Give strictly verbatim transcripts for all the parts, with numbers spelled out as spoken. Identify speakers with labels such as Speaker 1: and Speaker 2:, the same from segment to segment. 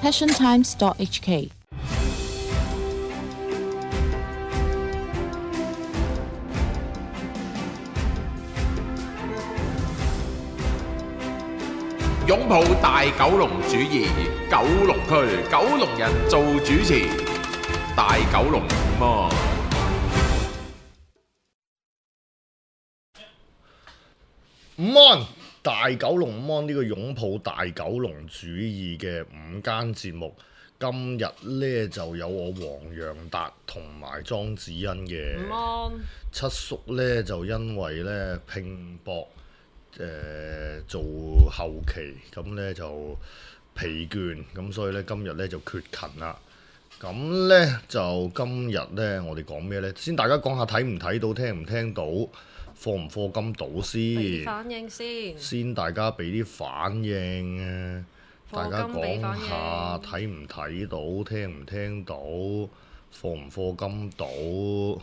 Speaker 1: passion times dot h k。
Speaker 2: 擁抱大九龍主義，九龍區九龍人做主持，大九龍麼？
Speaker 3: 午安，大九龍午安呢個擁抱大九龍主義嘅午間節目，今日呢就有我黃洋達同埋莊子欣嘅。
Speaker 4: 午安，
Speaker 3: 七叔呢就因為呢拼搏。誒、呃、做後期咁呢就疲倦，咁所以呢今日呢就缺勤啦。咁呢就今日呢我哋講咩呢？先大家講下睇唔睇到、聽唔聽到、課唔課金到先。
Speaker 4: 反應先。
Speaker 3: 先大家俾啲反應啊！大家講下睇唔睇到、聽唔聽到、課唔課金到。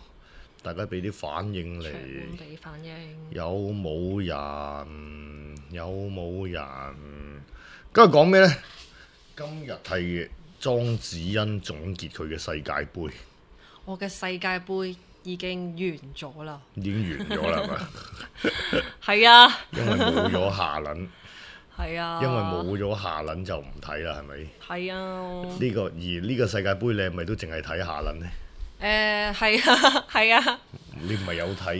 Speaker 3: 大家俾啲反應嚟，
Speaker 4: 俾反應
Speaker 3: 有冇人？有冇人？今日講咩呢？今日係莊子欣總結佢嘅世界盃。
Speaker 4: 我嘅世界盃已經完咗啦，
Speaker 3: 已經完咗啦，係咪？
Speaker 4: 係啊，
Speaker 3: 因為冇咗下輪。
Speaker 4: 係啊，
Speaker 3: 因為冇咗下輪就唔睇啦，係咪？
Speaker 4: 係啊。
Speaker 3: 呢、這個而呢個世界盃你係咪都淨係睇下輪呢？
Speaker 4: 誒係啊，係啊！
Speaker 3: 你唔係有睇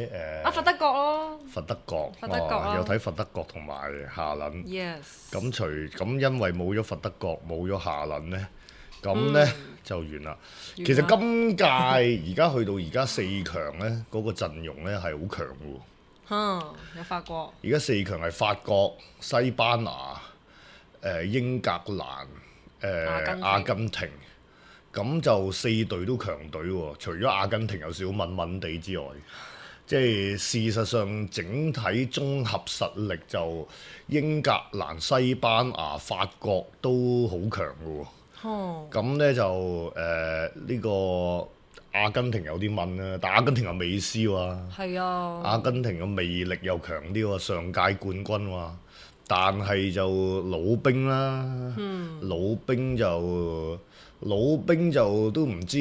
Speaker 3: 誒？
Speaker 4: 啊，佛德國咯，
Speaker 3: 佛德國，
Speaker 4: 佛德國啊，
Speaker 3: 有睇佛德國同埋夏倫。
Speaker 4: Yes。
Speaker 3: 咁除咁因為冇咗佛德國，冇咗夏倫呢，咁呢、嗯、就完啦。其實今屆而家去到而家四強呢，嗰、嗰個陣容呢係好強嘅喎。
Speaker 4: 嗯，有法國。
Speaker 3: 而家四強係法國、西班牙、誒英格蘭、誒阿根廷。阿根廷咁就四隊都強隊喎，除咗阿根廷有少少悶悶地之外，即係事實上整體綜合實力就英格蘭、西班牙、法國都好強嘅喎。哦，咁呢就誒呢、呃呢個阿根廷有啲悶啦，但阿根廷有美斯喎。係啊，阿根廷嘅魅力又強啲喎，上屆冠軍喎。但係就老兵啦，嗯、老兵就。老兵就都唔知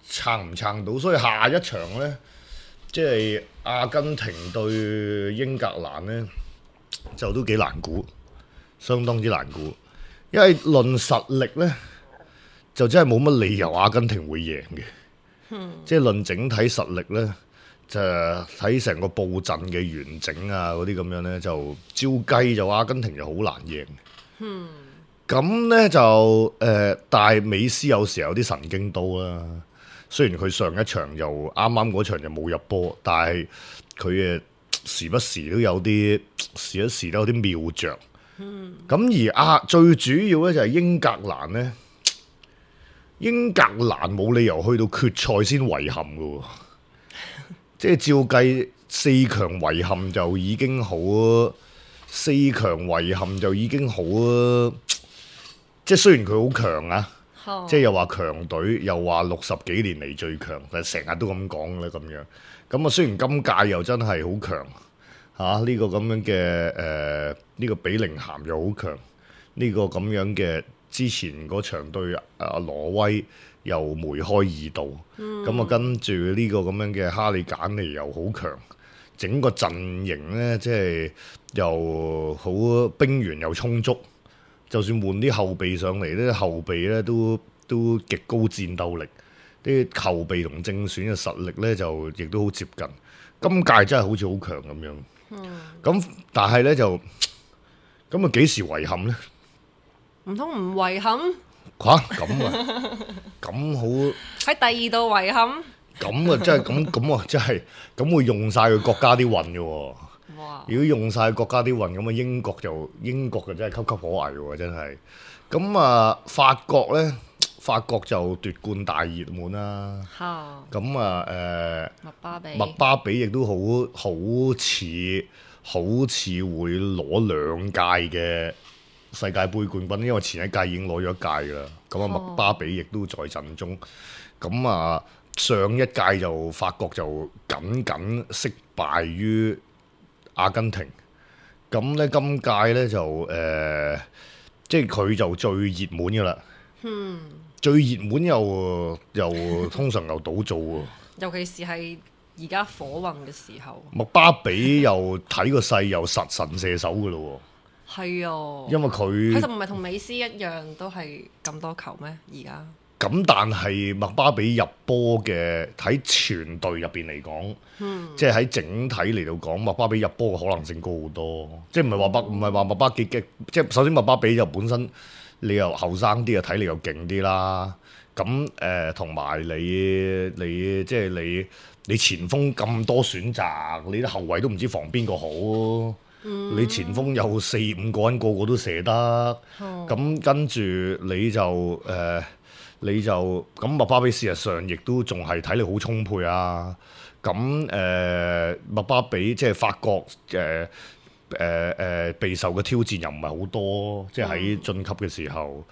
Speaker 3: 撐唔撐到，所以下一場呢，即係阿根廷對英格蘭呢，就都幾難估，相當之難估。因為論實力呢，就真係冇乜理由阿根廷會贏嘅。嗯、即係論整體實力呢，就睇成個佈陣嘅完整啊嗰啲咁樣呢，就照計就阿根廷就好難贏。嗯咁呢就誒、呃，但係美斯有時有啲神經刀啦。雖然佢上一場就啱啱嗰場就冇入波，但係佢誒時不時都有啲時不時都有啲妙着。嗯。咁而啊，最主要咧就係英格蘭呢，英格蘭冇理由去到決賽先遺憾嘅喎。即係照計四強遺憾就已經好，四強遺憾就已經好。即係雖然佢好強啊，oh. 即係又話強隊，又話六十幾年嚟最強，但係成日都咁講咧咁樣。咁啊，雖然今屆又真係好強嚇，呢、啊呢個咁樣嘅誒呢個比寧咸又好強，呢、呢個咁樣嘅之前嗰場對啊挪威又梅開二度，咁啊、mm. 跟住呢個咁樣嘅哈利簡尼又好強，整個陣營咧即係又好兵源又充足。就算換啲後備上嚟，呢啲後備咧都都極高戰鬥力，啲後備同正選嘅實力咧就亦都好接近。今屆真係好似好強咁樣。咁、嗯、但係咧就咁啊幾時遺憾咧？
Speaker 4: 唔通唔遺憾？
Speaker 3: 吓？咁啊？咁好
Speaker 4: 喺第二度遺憾？
Speaker 3: 咁啊真係咁咁啊真係咁會用晒佢國家啲運嘅喎。哇如果用晒國家啲運咁啊，英國就英國就真係岌岌可危喎，真係。咁啊，法國呢，法國就奪冠大熱門啦。咁啊，誒、呃，
Speaker 4: 麥巴比，
Speaker 3: 麥巴比亦都好好似好似會攞兩屆嘅世界盃冠軍，因為前一屆已經攞咗一屆噶啦。咁啊，麥巴比亦都在陣中。咁啊，上一屆就法國就僅僅惜敗於阿根廷，咁咧今屆咧就誒、呃、即係佢就最熱門㗎啦。
Speaker 4: 嗯，
Speaker 3: 最熱門又又通常又倒做喎。
Speaker 4: 尤其是係而家火運嘅時候。
Speaker 3: 麥巴比又睇個勢又實神射手㗎咯喎。
Speaker 4: 係啊，
Speaker 3: 因為佢
Speaker 4: 佢就唔係同美斯一樣都係咁多球咩？而家
Speaker 3: 咁，但係麥巴比入波嘅喺全隊入邊嚟講，
Speaker 4: 嗯、
Speaker 3: 即係喺整體嚟到講，麥巴比入波嘅可能性高好多。即係唔係話麥唔係話麥巴比嘅，即係首先麥巴比就本身你又後生啲啊，體力又勁啲啦。咁誒同埋你你即係你你前鋒咁多選擇，你啲後衞都唔知防邊個好。嗯、你前鋒有四五個人，個個都射得，咁、哦、跟住你就誒、呃，你就咁麥巴比事實上亦都仲係體力好充沛啊！咁誒麥巴比即係法國誒誒誒備受嘅挑戰又唔係好多，即係喺晉級嘅時候。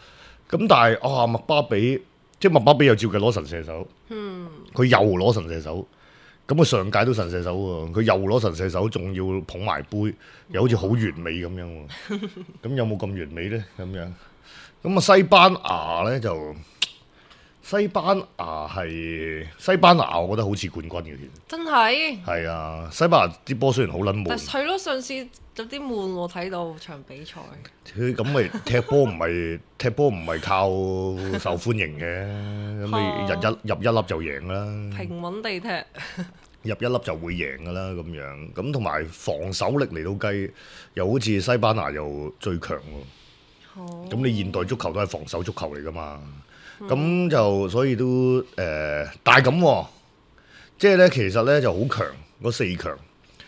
Speaker 3: 咁、嗯、但係啊麥巴比即係麥巴比又照計攞神射手，佢、嗯、又攞神射手。咁佢上屆都神射手喎，佢又攞神射手，仲要捧埋杯，又好似好完美咁樣喎。咁有冇咁完美呢？咁樣咁啊，西班牙呢，就西班牙係西班牙，我覺得好似冠軍嘅，其實
Speaker 4: 真係
Speaker 3: 係啊。西班牙啲波雖然好撚悶，
Speaker 4: 但係咯，上次有啲悶喎，睇到場比賽。佢
Speaker 3: 咁咪踢波唔係踢波唔係靠受歡迎嘅，咁你入一入一粒就贏啦。
Speaker 4: 平穩地踢。
Speaker 3: 入一粒就會贏㗎啦，咁樣咁同埋防守力嚟到計，又好似西班牙又最強喎。咁、oh. 你現代足球都係防守足球嚟㗎嘛？咁、mm. 就所以都誒、呃，但係咁、啊，即係咧其實咧就好強嗰四強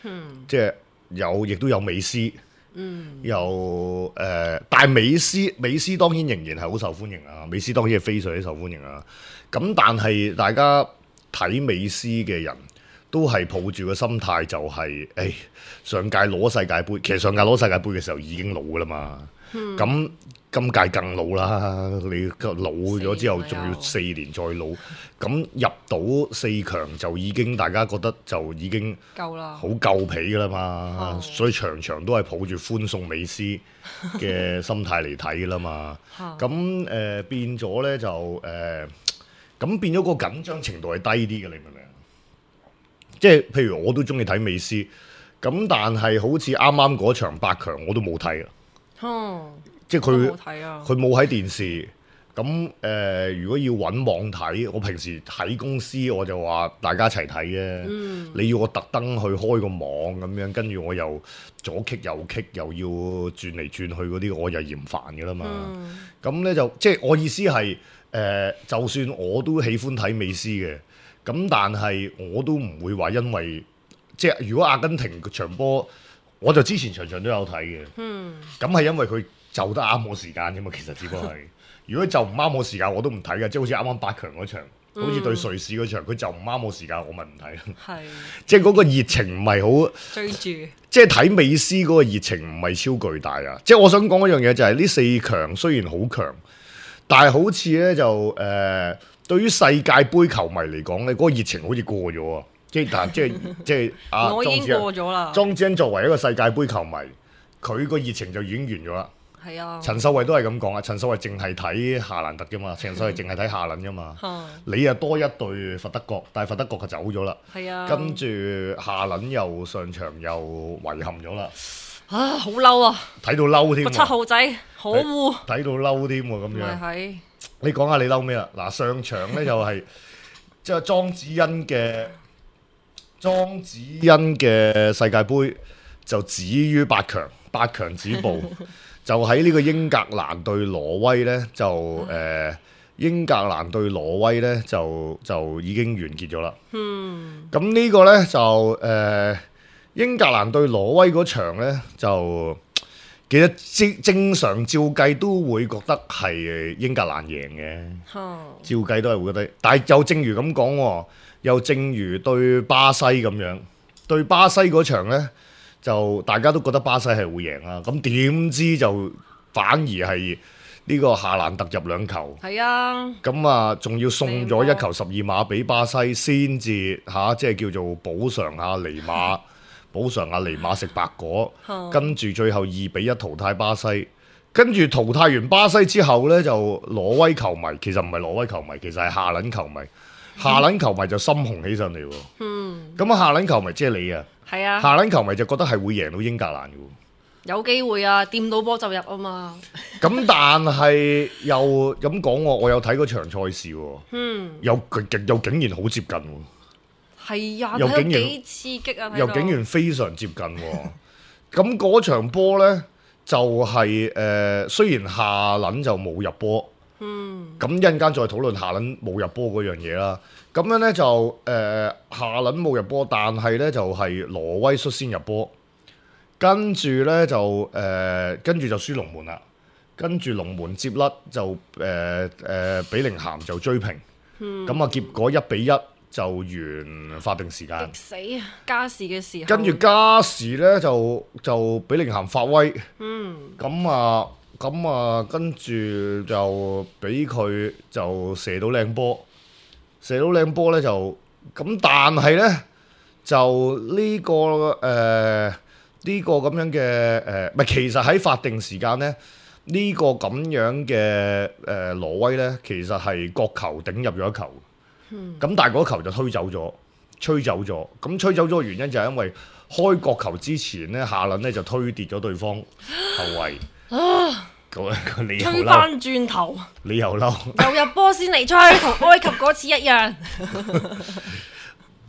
Speaker 3: ，mm. 即係有亦都有美斯，嗯，mm. 又誒、呃，但係美斯美斯當然仍然係好受歡迎啊，美斯當然係非常之受歡迎啊。咁但係大家睇美斯嘅人，都係抱住個心態就係、是，誒、哎、上屆攞世界盃，其實上屆攞世界盃嘅時候已經老㗎啦嘛。咁、嗯、今屆更老啦，你老咗之後仲要四年再老，咁入到四強就已經大家覺得就已經夠啦，好夠皮㗎啦嘛。嗯、所以場場都係抱住歡送美斯嘅心態嚟睇㗎啦嘛。咁誒、呃、變咗咧就誒，咁、呃、變咗個緊張程度係低啲嘅，你明唔明？即係譬如我都中意睇美斯，咁但係好似啱啱嗰場八強我都冇睇啊。哦，即係佢佢冇喺電視。咁誒、呃，如果要揾網睇，我平時喺公司我就話大家一齊睇嘅。嗯、你要我特登去開個網咁樣，跟住我又左棘右棘，又要轉嚟轉去嗰啲，我又嫌煩㗎啦嘛。咁咧、嗯、就即係我意思係誒、呃，就算我都喜歡睇美斯嘅。咁但係我都唔會話因為即係如果阿根廷場波，我就之前場場都有睇嘅。嗯，咁係因為佢就得啱我時間啫嘛。其實只不過係，如果就唔啱我時間，我都唔睇嘅。即係好似啱啱八強嗰場，嗯、好似對瑞士嗰場，佢就唔啱我時間，我咪唔睇。係是，即係嗰個熱情唔係好追住，即係睇美斯嗰個熱情唔係超巨大啊！即係我想講一樣嘢就係、是、呢四強雖然好強，但係好似咧就誒。呃對於世界盃球迷嚟講咧，嗰、那個熱情好似過咗啊！即係但即係即係啊，
Speaker 4: 我已經過咗啦。莊
Speaker 3: 子恩作為一個世界盃球迷，佢個熱情就已經完咗啦。係啊，陳秀慧都係咁講啊。陳秀慧淨係睇夏蘭特啫嘛，陳秀慧淨係睇夏倫啫嘛。你啊多一隊佛德國，但係佛德國就走咗啦。係啊，跟住夏倫又上場又遺憾咗啦。
Speaker 4: 啊，好嬲啊！睇
Speaker 3: 到嬲添，個
Speaker 4: 七號仔可惡，
Speaker 3: 睇到嬲添喎咁樣。係。你講下你嬲咩啊？嗱，上場咧就係即係莊子恩嘅莊子恩嘅世界盃就止於八強，八強止步，就喺呢個英格蘭對挪威咧就誒、呃、英格蘭對挪威咧就就已經完結咗啦。嗯，咁呢個咧就誒、呃、英格蘭對挪威嗰場咧就。其實正正常照計都會覺得係英格蘭贏嘅，哦、照計都係會覺得。但係又正如咁講，又正如對巴西咁樣，對巴西嗰場呢，就大家都覺得巴西係會贏啦。咁點知就反而係呢個夏蘭特入兩球，係啊，咁啊仲要送咗一球十二碼俾巴西，先至嚇即係叫做補償下尼馬。補償阿尼馬食白果，跟住最後二比一淘汰巴西，跟住淘汰完巴西之後呢，就挪威球迷其實唔係挪威球迷，其實係下撚球迷。下撚球迷就心紅起上嚟喎。嗯。咁啊，下撚球迷即係你啊。
Speaker 4: 係啊。
Speaker 3: 下撚球迷就覺得係會贏到英格蘭嘅喎。
Speaker 4: 有機會啊，掂到波就入啊嘛。
Speaker 3: 咁但係又咁講喎，我有睇嗰場賽事喎。嗯。又極又竟然好接近喎。
Speaker 4: 係啊，
Speaker 3: 又竟然
Speaker 4: 幾刺激啊！
Speaker 3: 又竟然非常接近喎。咁嗰場波呢，就係、是、誒、呃，雖然下撚就冇入波。嗯。咁一陣間再討論下撚冇入波嗰樣嘢啦。咁樣呢，就誒、呃、下撚冇入波，但係呢，就係、是、挪威率先入波。跟住咧就誒、呃，跟住就輸龍門啦。跟住龍門接甩就誒誒、呃呃，比寧咸就追平。咁啊、嗯，結果一比一就完法定時間。
Speaker 4: 死啊！加時嘅時候。
Speaker 3: 跟住加時咧就就比寧咸發威。嗯。咁啊咁啊，跟住就俾佢就射到靚波，射到靚波咧就咁，但係咧就呢、這個誒。呃呢個咁樣嘅誒，唔、呃、係其實喺法定時間咧，呢、這個咁樣嘅誒、呃、挪威咧，其實係角球頂入咗一球，咁、嗯、但係嗰球就推走咗，吹走咗。咁吹走咗嘅原因就係因為開角球之前咧，下輪咧就推跌咗對方後衞。啊！你又
Speaker 4: 吹翻轉頭，
Speaker 3: 你又嬲，
Speaker 4: 又入波先嚟吹，同埃及嗰次一樣。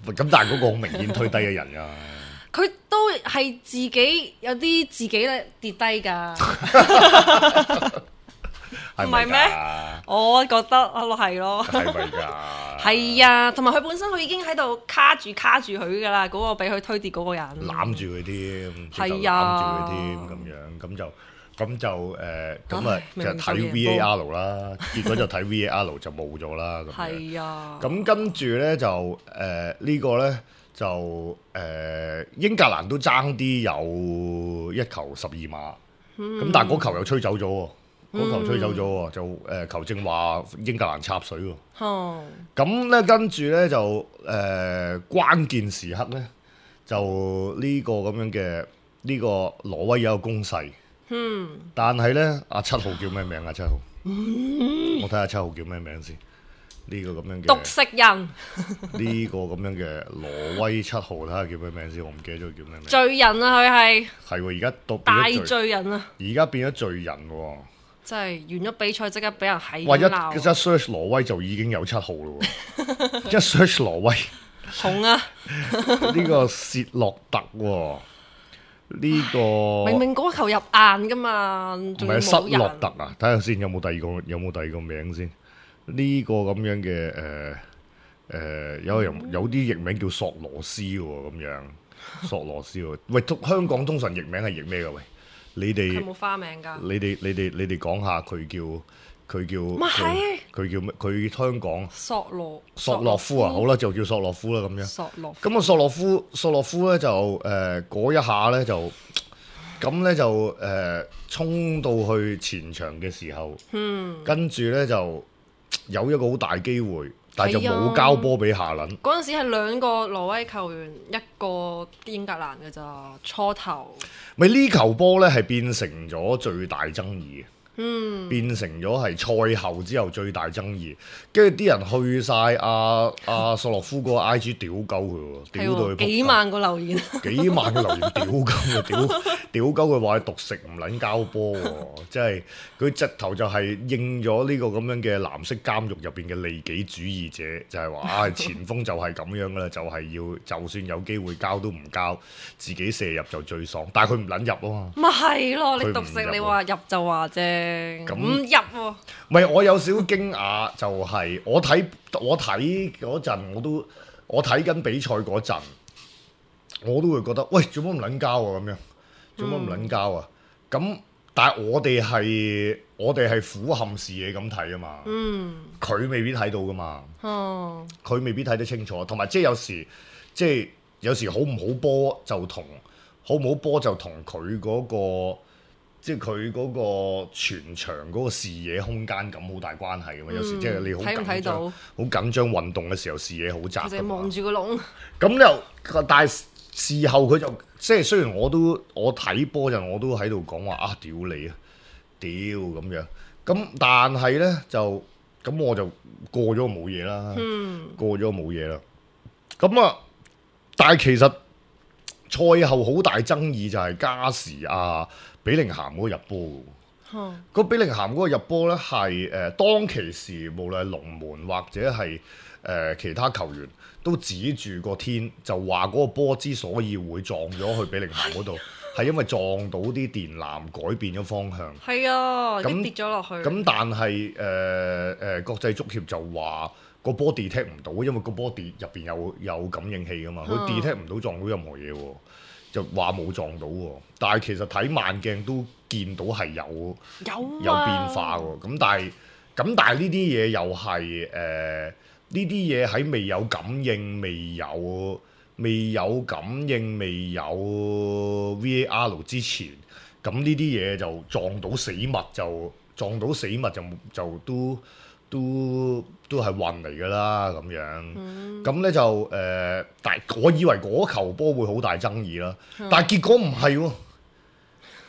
Speaker 3: 咁但係嗰個好明顯推低嘅人啊！
Speaker 4: 佢都係自己有啲自己咧跌低㗎，唔係咩？我覺得係咯，係咪㗎？係啊，同埋佢本身佢已經喺度卡住卡住佢㗎啦，嗰、嗰個俾佢推跌嗰個人攬住佢添，係啊，攬住佢添咁樣，咁就咁就誒，咁、呃、啊就睇 V A R 啦，結果就睇 V A R 就冇咗啦，咁係啊，咁跟住咧就誒、呃這個、呢個咧。就誒、呃、英格蘭都爭啲有一球十二碼，咁、嗯、但係嗰球又吹走咗喎，嗰、嗯、球吹走咗喎，就誒、呃、球證話英格蘭插水喎。哦，咁咧跟住咧就誒、呃、關鍵時刻咧就呢個咁樣嘅呢、這個挪威有一個攻勢，嗯，但係咧阿七號叫咩名啊？七號，嗯、我睇下七號叫咩名先。呢個咁樣嘅獨食人，
Speaker 3: 呢個咁樣嘅挪威七號，睇下叫咩名先，我唔記得咗叫咩名。
Speaker 4: 罪人啊，佢係
Speaker 3: 係喎，而家到
Speaker 4: 大罪人啊，
Speaker 3: 而家變咗罪人喎，
Speaker 4: 真係完咗比賽即刻俾人喺
Speaker 3: 哇！一一 search 挪威就已經有七號咯喎，一 search 挪威
Speaker 4: 紅啊！
Speaker 3: 呢個薛洛特喎，呢、這個
Speaker 4: 明明嗰球入硬噶嘛，唔
Speaker 3: 係失洛特啊？睇下先有冇第二個有冇第二個名先。呢個咁樣嘅誒誒有人有啲譯名叫索羅斯喎，咁樣索羅斯喎。喂，香港通常譯名係譯咩㗎？喂，你哋
Speaker 4: 佢冇花名㗎。你
Speaker 3: 哋你哋你哋講下佢叫佢叫
Speaker 4: 唔係
Speaker 3: 佢叫咩？佢香港
Speaker 4: 索羅
Speaker 3: 索洛夫啊，好啦，就叫索洛夫啦，咁樣。
Speaker 4: 索洛
Speaker 3: 咁啊，索洛夫索洛夫咧就誒嗰、呃、一下咧就咁咧就誒、呃、衝到去前場嘅時候，嗯，跟住咧就。有一個好大機會，但係就冇交波俾下輪。
Speaker 4: 嗰陣時係兩個挪威球員，一個英格蘭嘅咋初頭。
Speaker 3: 咪呢球波呢係變成咗最大爭議。嗯，變成咗係賽後之後最大爭議，跟住啲人去晒阿阿索洛夫個 I G 屌鳩佢喎，屌到佢
Speaker 4: 幾萬個留言，
Speaker 3: 幾萬個留言屌鳩佢，屌屌鳩佢話佢獨食唔撚交波喎，即係佢直頭就係應咗呢個咁樣嘅藍色監獄入邊嘅利己主義者，就係話啊前鋒就係咁樣噶啦，就係要就算有機會交都唔交，自己射入就最爽，但係佢唔撚入啊嘛，
Speaker 4: 咪係咯，你獨食你話入就話啫。咁唔入喎？
Speaker 3: 唔係，我有少少驚訝，就係、是、我睇我睇嗰陣，我都我睇緊比賽嗰陣，我都會覺得，喂，做乜唔撚交啊？咁樣做乜唔撚交啊？咁、嗯、但係我哋係我哋係俯瞰視野咁睇啊嘛。嗯，佢未必睇到噶嘛。哦，佢未必睇得清楚，同埋即係有時即係有時好唔好波就同好唔好波就同佢嗰個。即係佢嗰個全場嗰個視野空間感好大關係㗎嘛，嗯、有時即係你好緊張，好緊張運動嘅時候視野好窄㗎嘛。就
Speaker 4: 望住個籠。
Speaker 3: 咁又，但係事後佢就即係雖然我都我睇波陣我都喺度講話啊，屌你啊！屌咁樣。咁但係咧就咁我就過咗冇嘢啦，嗯、過咗冇嘢啦。咁啊，但係其實賽後好大爭議就係加時啊，比寧咸嗰個入波嘅。嗯、個比寧咸嗰個入波咧係誒當其時，無論係龍門或者係誒、呃、其他球員都指住個天，就話嗰個波之所以會撞咗去比寧咸嗰度。係因為撞到啲電纜改變咗方向，係啊，咁那跌咗落去。咁但係誒誒國際足協就話個波 detect 唔到，因為個波跌入邊有有感應器噶嘛，佢 detect 唔到撞到任何嘢喎，就話冇撞到喎。但係其實睇慢鏡都見到係有有、啊、有變化喎。咁但係咁但係呢啲嘢又係誒呢啲嘢喺未有感應未有。未有感應、未有 V A R 之前，咁呢啲嘢就撞到死物就撞到死物就就都都都係運嚟㗎啦咁樣。咁咧、嗯、就誒、呃，但係我以為嗰球波會好大爭議啦，嗯、但係結果唔係喎。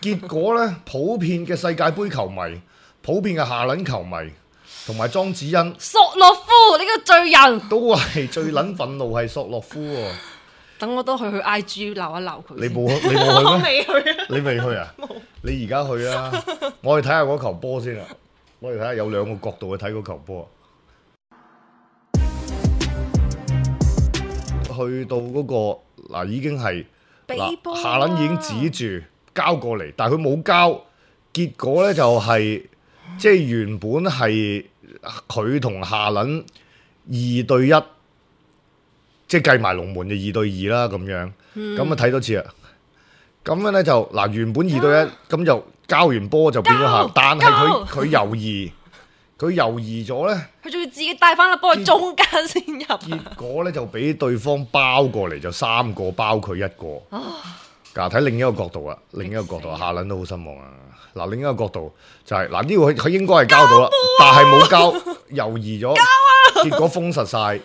Speaker 3: 結果咧，普遍嘅世界盃球迷、普遍嘅下輪球迷同埋莊子欣、
Speaker 4: 索洛夫呢、呢個罪人
Speaker 3: 都係最撚憤怒係索洛夫喎。
Speaker 4: 等我都去去 I G 鬧一鬧佢。
Speaker 3: 你冇你冇去咩？
Speaker 4: 我未去啊。
Speaker 3: 你未去啊？
Speaker 4: 冇。
Speaker 3: 你而家去啊！我哋睇下嗰球波先啊！我哋睇下有兩個角度去睇嗰球波。去到嗰、嗰個嗱已經係嗱夏倫已經指住交過嚟，但係佢冇交，結果咧就係、係、即係原本係佢同夏倫二對一。即係計埋龍門嘅二對二啦，咁樣，咁啊睇多次啊，咁樣咧就嗱原本二對一，咁、啊、就交完波就變咗下，但係佢佢猶豫，佢猶豫咗咧，
Speaker 4: 佢仲要自己帶翻粒波去中間先入，
Speaker 3: 結果咧就俾對方包過嚟，就三個包佢一個。嗱睇、啊、另一個角度啊，另一個角度，下輪都好失望啊。嗱另一個角度就係嗱呢個佢佢應該係交到啦，啊、但係冇交，猶豫咗，啊、結果封實晒。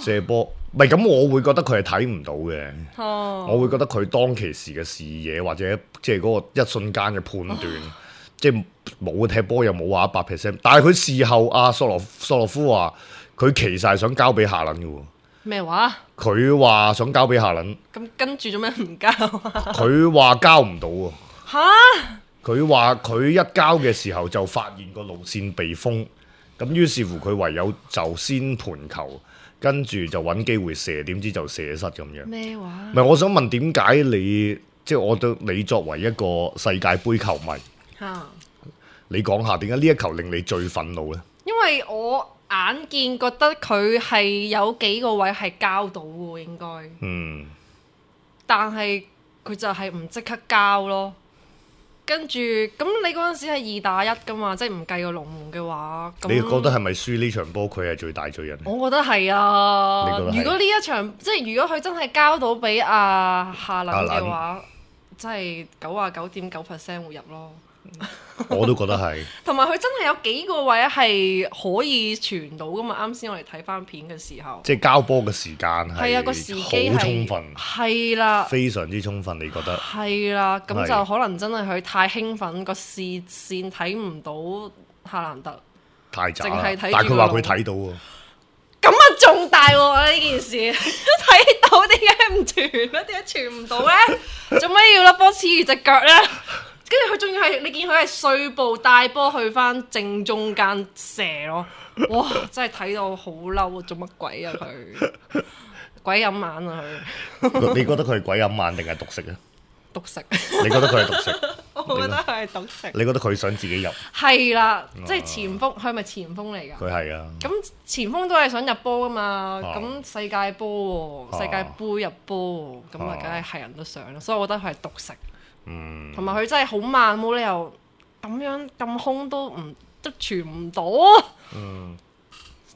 Speaker 3: 射波，唔係咁，我會覺得佢係睇唔到嘅。哦、我會覺得佢當其時嘅視野或者即係嗰個一瞬間嘅判斷，哦、即係冇踢波又冇話一百 percent。但係佢事後阿索洛索洛夫話，佢其實係想交俾夏倫嘅喎。咩話？佢話想交俾夏倫。咁跟住做咩唔交啊？佢話交唔到喎。嚇哈！佢話佢一交嘅時候就發現個路線被封，咁於是乎佢唯有就先盤球。跟住就揾機會射，點知就射失咁樣。咩話？唔係，我想問點解你即係我對你作為一個世界盃球迷，啊、你講下點解呢一球令你最憤怒呢？因為我眼見覺得佢係有幾個位係交到喎，應該。嗯。但係佢就係唔即刻交咯。跟住咁，你嗰陣時係二打一噶嘛，即係唔計個龍門嘅話，你覺得係咪輸呢場波佢係最大罪人？我覺得係啊。你覺得係？如果呢一場即係如果佢真係交到俾阿夏倫嘅話，真係九啊九點九 percent 會入咯。我都覺得係。同埋佢真係有幾個位係可以傳到噶嘛？啱先我哋睇翻片嘅時候，即係交波嘅時間係啊個時機好充分，係啦，非常之充分。你覺得係啦？咁就可能真係佢太興奮，個視線睇唔到夏蘭特，太渣，淨係睇。但係佢話佢睇到喎，咁啊仲大喎呢件事，睇到點解唔傳咧？點解傳唔到咧？做咩要粒波黐住隻腳咧？跟住佢仲要係，你見佢係碎步帶波去翻正中間射咯，哇！真係睇到好嬲啊！做乜鬼啊佢？鬼飲眼啊佢！你覺得佢係鬼飲眼定係獨食啊？獨食。你覺得佢係獨食？我覺得佢係獨食。你覺得佢想自己入？係啦，即係前鋒，佢係咪前鋒嚟㗎？佢係啊。咁前鋒都係想入波㗎嘛？咁、啊、世界波喎，世界盃入波喎，咁啊梗係係人都想啦，所以我覺得佢係獨食。嗯，同埋佢真係好慢，冇理由咁樣咁空都唔都傳唔到。嗯，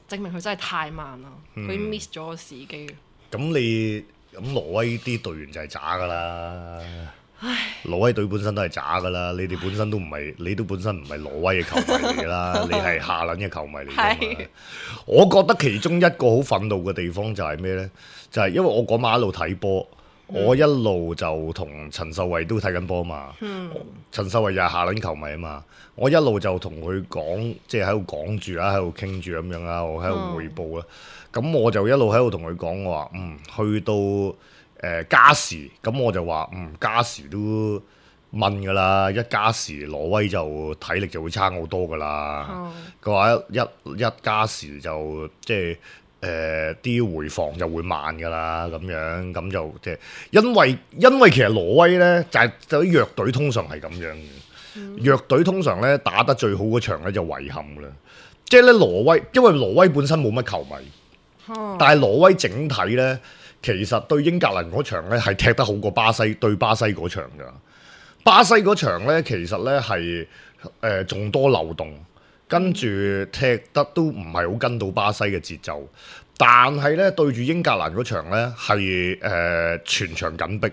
Speaker 3: 證明佢真係太慢啦，佢、嗯、miss 咗個時機。咁你咁挪威啲隊員就係渣噶啦，唉，挪威隊本身都係渣噶啦，你哋本身都唔係，你都本身唔係挪威嘅球迷嚟噶啦，你係夏倫嘅球迷嚟噶嘛。是我覺得其中一個好憤怒嘅地方就係咩呢？就係、是、因為我嗰晚喺度睇波。我一路就同陳秀慧都睇緊波嘛。嗯、陳秀慧又係下輪球迷啊嘛。我一路就同佢講，即係喺度講住啦，喺度傾住咁樣啦，我喺度彙報啦。咁、嗯、我就一路喺度同佢講，我話嗯，去到誒、呃、加時，咁我就話嗯加時都問㗎啦，一加時挪威就體力就會差好多㗎啦。佢話、嗯、一一一加時就即係。誒啲、呃、回防就會慢㗎啦，咁樣咁就即係因為因為其實挪威咧就係就啲弱隊通常係咁樣嘅，嗯、弱隊通常咧打得最好嗰場咧就遺憾㗎啦，即係咧挪威因為挪威本身冇乜球迷，嗯、但係挪威整體咧其實對英格蘭嗰場咧係踢得好過巴西對巴西嗰場㗎，巴西嗰場咧其實咧係誒仲多漏洞。跟住踢得都唔係好跟到巴西嘅節奏，但係咧對住英格蘭嗰場咧係誒全場緊逼，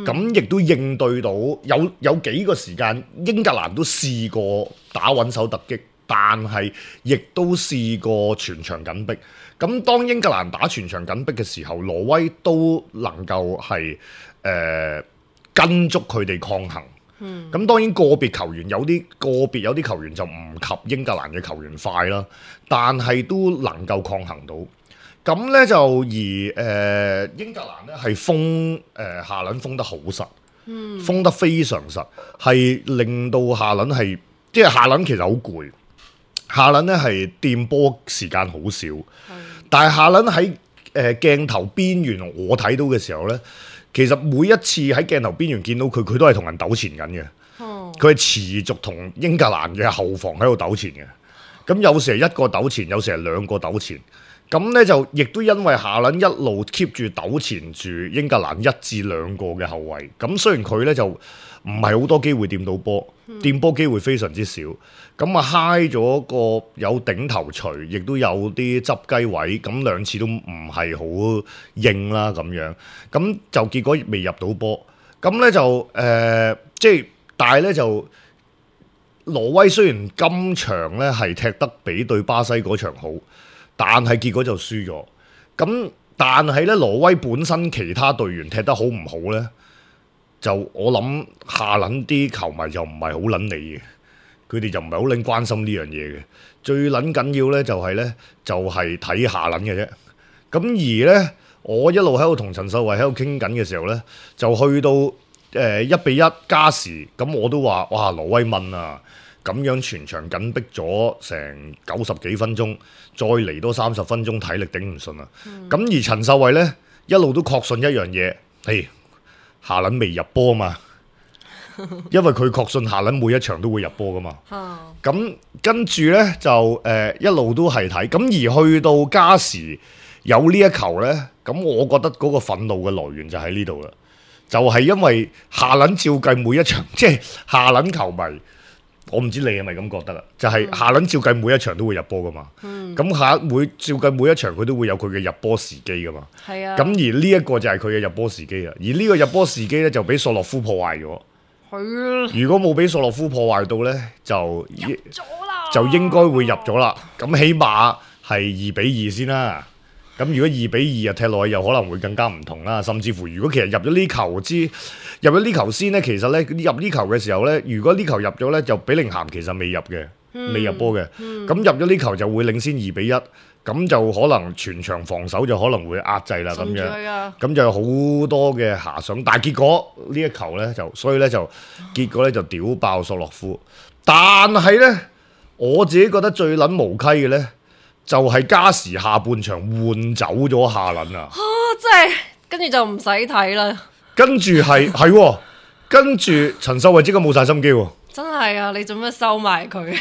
Speaker 3: 咁亦、嗯、都應對到有有幾個時間英格蘭都試過打穩手突擊，但係亦都試過全場緊逼。咁當英格蘭打全場緊逼嘅時候，挪威都能夠係誒、呃、跟足佢哋抗衡。咁、嗯、當然個別球員有啲個別有啲球員就唔及英格蘭嘅球員快啦，但係都能夠抗衡到。咁呢就而誒、呃、英格蘭呢係封誒下輪封得好實，嗯、封得非常實，係令到下輪係即係下輪其實好攰，下輪呢係掂波時間好少，嗯、但係下輪喺誒鏡頭邊緣我睇到嘅時候呢。其實每一次喺鏡頭邊緣見到佢，佢都係同人糾纏緊嘅。佢係、哦、持續同英格蘭嘅後防喺度糾纏嘅。咁有時係一個糾纏，有時係兩個糾纏。咁呢就亦都因為下輪一路 keep 住糾纏住英格蘭一至兩個嘅後衞。咁雖然佢呢就唔係好多機會掂到波，掂波機會非常之少。咁啊嗨咗個有頂頭錘，亦都有啲執雞位，咁兩次都唔係好應啦咁樣，咁就結果未入到波。咁咧就誒、呃，即係但係咧就挪威雖然今場咧係踢得比對巴西嗰場好，但係結果就輸咗。咁但係咧挪威本身其他隊員踢得好唔好咧？就我諗下輪啲球迷就唔係好撚理嘅。佢哋就唔係好撚關心呢樣嘢嘅，最撚緊要咧就係咧就係睇下輪嘅啫。咁而咧，我一路喺度同陳秀慧喺度傾緊嘅時候咧，就去到誒一比一加時，咁我都話：哇，挪威問啊，咁樣全場緊逼咗成九十幾分鐘，再嚟多三十分鐘，體力頂唔順啊！咁、嗯、而陳秀慧咧一路都確信一樣嘢，係下輪未入波嘛。因為佢確信下輪每一場都會入波噶嘛，咁、嗯、跟住呢，就誒、呃、一路都係睇，咁而去到加時有呢一球呢，咁我覺得嗰個憤怒嘅來源就喺呢度啦，就係、是、因為下輪照計每一場，即係下輪球迷，我唔知你係咪咁覺得啦，就係、是、下輪照計每一場都會入波噶嘛，咁、嗯、下每照計每一場佢都會有佢嘅入波時機噶嘛，係啊，咁而呢一個就係佢嘅入波時機啊，而呢個入波時機呢，就俾索洛夫破壞咗。如果冇俾索洛夫破壞到呢，就就應該會入咗啦。咁起碼係二比二先啦。咁如果二比二啊踢落去，又可能會更加唔同啦。甚至乎，如果其實入咗呢球之入咗呢球先呢，其實呢，入呢球嘅時候呢，如果呢球入咗呢，就比寧咸其實未入嘅，嗯、未入波嘅。咁、嗯、入咗呢球就會領先二比一。咁就可能全場防守就可能會壓制啦，咁樣，咁就有好多嘅遐想，但係結果呢一球呢，就，所以呢，就結果呢，就屌爆索洛夫，但係呢，我自己覺得最撚無稽嘅呢，就係、是、加時下半場換走咗下輪啊！
Speaker 4: 真係跟住就唔使睇啦，
Speaker 3: 跟住係係，跟住陳秀慧即刻冇晒心機喎。
Speaker 4: 真係啊！你做咩收埋佢？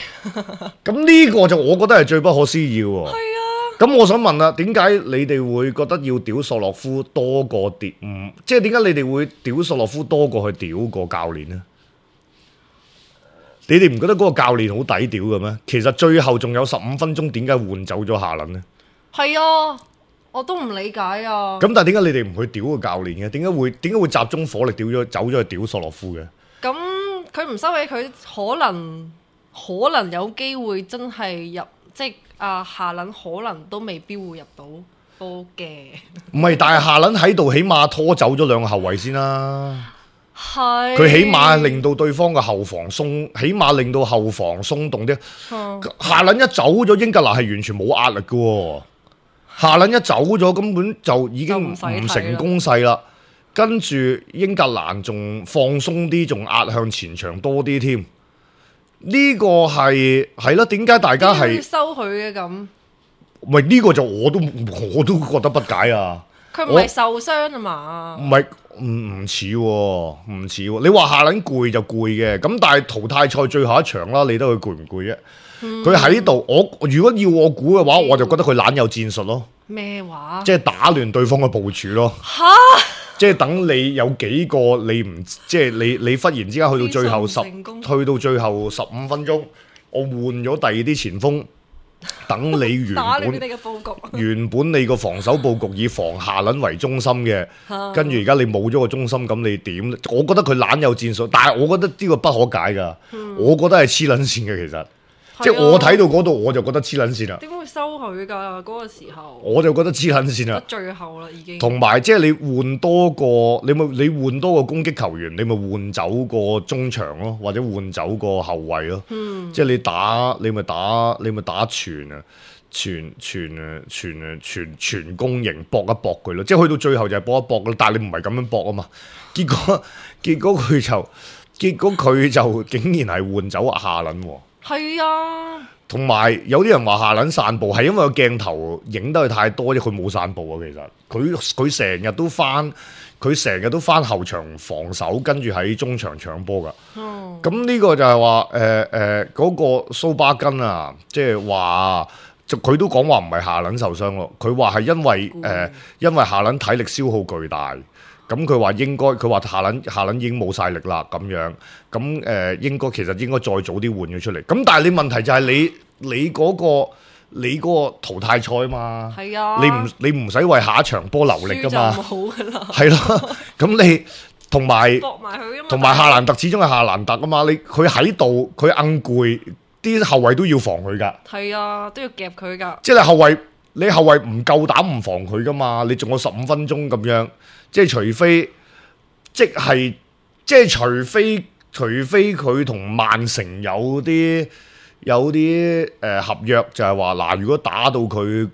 Speaker 3: 咁呢個就我覺得係最不可思議喎。係啊。咁我想問啦，點解你哋會覺得要屌索洛夫多過屌？唔，即係點解你哋會屌索洛夫多過去屌個教練呢？你哋唔覺得嗰個教練好抵屌嘅咩？其實最後仲有十五分鐘，點解換走咗下輪呢？係
Speaker 4: 啊，我都唔理解啊。
Speaker 3: 咁但係點解你哋唔去屌個教練嘅？點解會點解會集中火力屌咗走咗去屌索洛夫嘅？
Speaker 4: 咁佢唔收起佢，可能可能有機會真係入，即係啊下輪可能都未必會入到。波嘅。
Speaker 3: 唔係，但係夏倫喺度，起碼拖走咗兩個後衛先啦。
Speaker 4: 係。
Speaker 3: 佢起碼令到對方嘅後防鬆，起碼令到後防鬆動啲。嗯、夏倫一走咗，英格蘭係完全冇壓力嘅喎。夏倫一走咗，根本就已經唔成攻勢啦。跟住英格蘭仲放鬆啲，仲壓向前場多啲添。呢、這個係係咯，點解大家係
Speaker 4: 收佢嘅咁？
Speaker 3: 唔係呢個就我都我都覺得不解啊！
Speaker 4: 佢唔係受傷啊嘛？
Speaker 3: 唔係唔唔似喎，唔似喎。你話夏倫攰就攰嘅，咁但係淘汰賽最後一場啦，你得佢攰唔攰啫？佢喺度，我如果要我估嘅話，我就覺得佢懶有戰術咯。
Speaker 4: 咩話？
Speaker 3: 即係打亂對方嘅部署咯。
Speaker 4: 嚇！
Speaker 3: 即係等你有幾個你唔即係你你忽然之間去到最後十去到最後十五分鐘，我換咗第二啲前鋒，等你原本
Speaker 4: 你嘅佈局
Speaker 3: 原本你個防守佈局以防夏倫為中心嘅，跟住而家你冇咗個中心，咁你點？我覺得佢懶有戰術，但係我覺得呢個不可解㗎。嗯、我覺得係黐撚線嘅其實。即係我睇到嗰度我就覺得黐撚線啦。
Speaker 4: 點會收佢㗎？嗰、嗰個時候
Speaker 3: 我就覺得黐撚線啦。
Speaker 4: 最後啦已經。同
Speaker 3: 埋即係你換多個，你咪你換多個攻擊球員，你咪換走個中場咯，或者換走個後衞咯。嗯、即係你打你咪打你咪打全啊，全全啊全啊全全攻型搏一搏佢咯。即係去到最後就係搏一搏咯，但係你唔係咁樣搏啊嘛。結果結果佢就結果佢就竟然係換走夏倫喎。
Speaker 4: 係啊，
Speaker 3: 同埋有啲人話夏倫散步係因為個鏡頭影得佢太多啫，佢冇散步啊。其實佢佢成日都翻，佢成日都翻後場防守，跟住喺中場搶波噶。咁呢、哦、個就係話誒誒嗰個蘇巴根啊，即係話就佢都講話唔係夏倫受傷咯，佢話係因為誒、嗯呃、因為夏倫體力消耗巨大。咁佢話應該，佢話夏倫夏倫已經冇晒力啦，咁樣，咁誒、呃、應該其實應該再早啲換咗出嚟。咁但係你問題就係你你嗰、嗰個你嗰個淘汰賽嘛，
Speaker 4: 係啊，
Speaker 3: 你唔你唔使為下一場波留力噶嘛，
Speaker 4: 冇噶啦，
Speaker 3: 係咯。咁你同埋同埋夏蘭特始終係夏蘭特啊嘛，你佢喺度佢硬攰，啲後衞都要防佢噶，
Speaker 4: 係啊，都要夾佢噶。
Speaker 3: 即係你後衞你後衞唔夠膽唔防佢噶嘛，你仲有十五分鐘咁樣。即係除非，即係即係除非，除非佢同曼城有啲有啲誒、呃、合約，就係話嗱，如果打到佢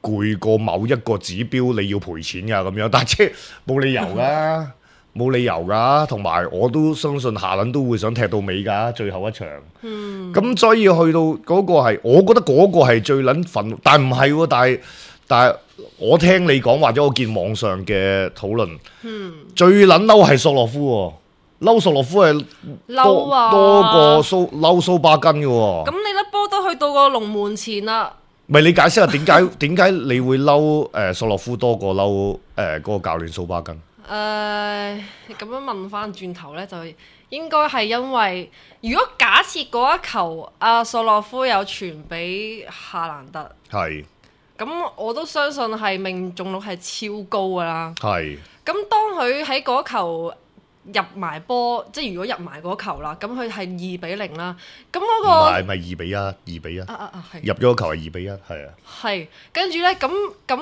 Speaker 3: 攰過某一個指標，你要賠錢㗎咁樣。但係即係冇理由㗎，冇理由㗎。同埋我都相信夏倫都會想踢到尾㗎，最後一場。嗯。咁所以去到嗰個係，我覺得嗰個係最撚憤，但係唔係喎，但係。但係我聽你講，或者我見網上嘅討論，嗯、最撚嬲係索洛夫喎，嬲索洛夫係多、啊、多過蘇嬲蘇巴根嘅喎。咁
Speaker 4: 你粒波都去到個龍門前啦。
Speaker 3: 唔係你解釋下點解點解你會嬲誒索洛夫多過嬲誒嗰個教練蘇巴根？誒咁、
Speaker 4: 呃、樣問翻轉頭咧，就應該係因為如果假設嗰一球阿、啊、索洛夫有傳俾夏蘭特，係。咁我都相信係命中率係超高㗎啦。係。咁當佢喺嗰球入埋波，即係如果入埋嗰球啦，咁佢係二比零啦。咁嗰、嗰個唔係咪二比一？二比一。啊啊啊！入咗個球係二比一，係啊。係。跟住咧，咁咁。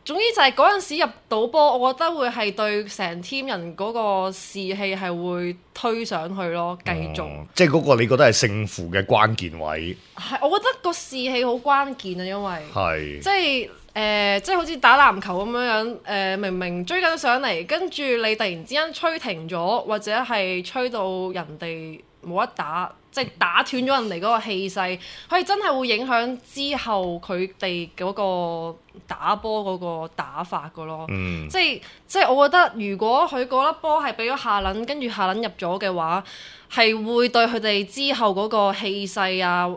Speaker 4: 總之就係嗰陣時入到波，我覺得會係對成 team 人嗰個士氣係會推上去咯，繼續。哦、即係嗰個你覺得係勝負嘅關鍵位。係，我覺得個士氣好關鍵啊，因為係即係誒、呃，即係好似打籃球咁樣樣誒、呃，明明追緊上嚟，跟住你突然之間吹停咗，或者係吹到人哋冇得打。即係打斷咗人哋嗰個氣勢，佢真係會影響之後佢哋嗰個打波嗰個打法噶咯。嗯、即係即係我覺得，如果佢嗰粒波係俾咗夏倫，跟住夏倫入咗嘅話，係會對佢哋之後嗰個氣勢啊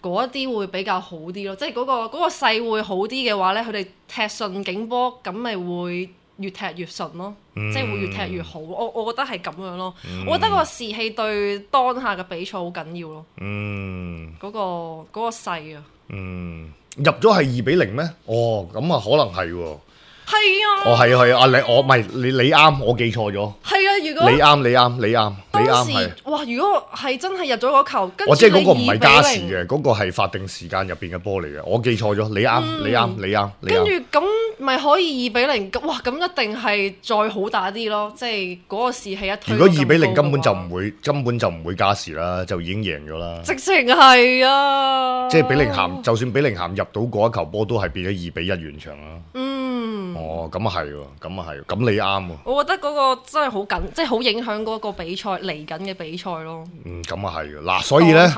Speaker 4: 嗰一啲會比較好啲咯。即係嗰、嗰個嗰、嗰個勢會好啲嘅話咧，佢哋踢順境波，咁咪會越踢越順咯，嗯、即係會越踢越好。我我覺得係咁樣咯。嗯、我覺得個士氣對當下嘅比賽好緊要咯。嗯，嗰、嗰個嗰、嗰個勢啊。嗯，入咗係二比零咩？哦，咁啊可能係喎。係啊，
Speaker 3: 哦係啊係啊，你我唔係你你啱，我記錯咗。
Speaker 4: 係啊，如果
Speaker 3: 你啱你啱你啱你啱係。
Speaker 4: 哇！如果係真係入咗嗰球，跟住
Speaker 3: 我即係嗰個唔係加時
Speaker 4: 你
Speaker 3: 嘅，嗰個係法定時間入邊嘅波嚟嘅，我記錯咗。你啱你啱你啱你啱。
Speaker 4: 跟住咁咪可以二比零？哇！咁一定係再好打啲咯，即係嗰個士氣一推。
Speaker 3: 如果二比零根本就唔會根本就唔會加時啦，就已經贏咗啦。
Speaker 4: 直情係啊！
Speaker 3: 即係比寧咸，就算比寧咸入到嗰一球波，都係變咗二比一完場啦。
Speaker 4: 嗯。
Speaker 3: 哦，咁啊係喎，咁啊係，咁你啱喎。
Speaker 4: 我覺得嗰個真係好緊，即係好影響嗰個比賽嚟緊嘅比賽咯。
Speaker 3: 嗯，咁啊係嘅。嗱，所以咧，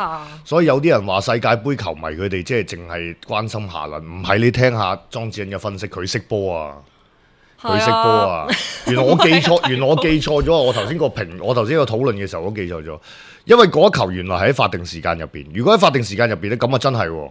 Speaker 3: 所以有啲人話世界盃球迷佢哋即係淨係關心夏倫，唔係你聽下莊子欣嘅分析，佢識波啊，佢識波啊。原來我記錯，原來我記錯咗。我頭先個評，我頭先個討論嘅時候，我記錯咗。因為嗰一球原來係喺法定時間入邊。如果喺法定時間入邊咧，咁啊真係喎。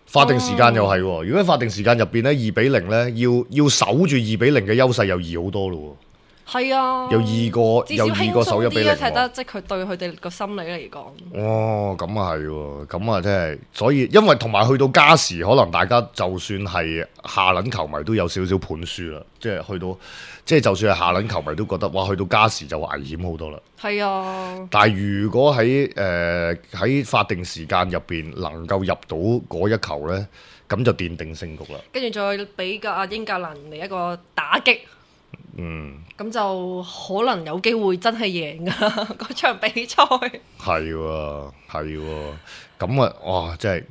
Speaker 3: 法定時間又係喎。如果喺法定時間入邊咧，二比零咧，要要守住二比零嘅優勢又易好多咯喎。
Speaker 4: 係啊，
Speaker 3: 有二個，有二個手一比零喎。
Speaker 4: 睇得即係佢對佢哋個心理嚟講。
Speaker 3: 哦，咁啊係喎，咁啊真係，所以因為同埋去到加時，可能大家就算係下輪球迷都有少少盤輸啦，即係去到，即係就算係下輪球迷都覺得，哇，去到加時就危險好多啦。係啊。但係如果喺誒喺法定時間入邊能夠入到嗰一球呢，咁就奠定勝局啦。
Speaker 4: 跟住再俾個阿英格蘭嚟一個打擊。嗯，咁就可能有機會真係贏噶嗰場比賽。
Speaker 3: 係喎，係喎，咁啊，哇，真係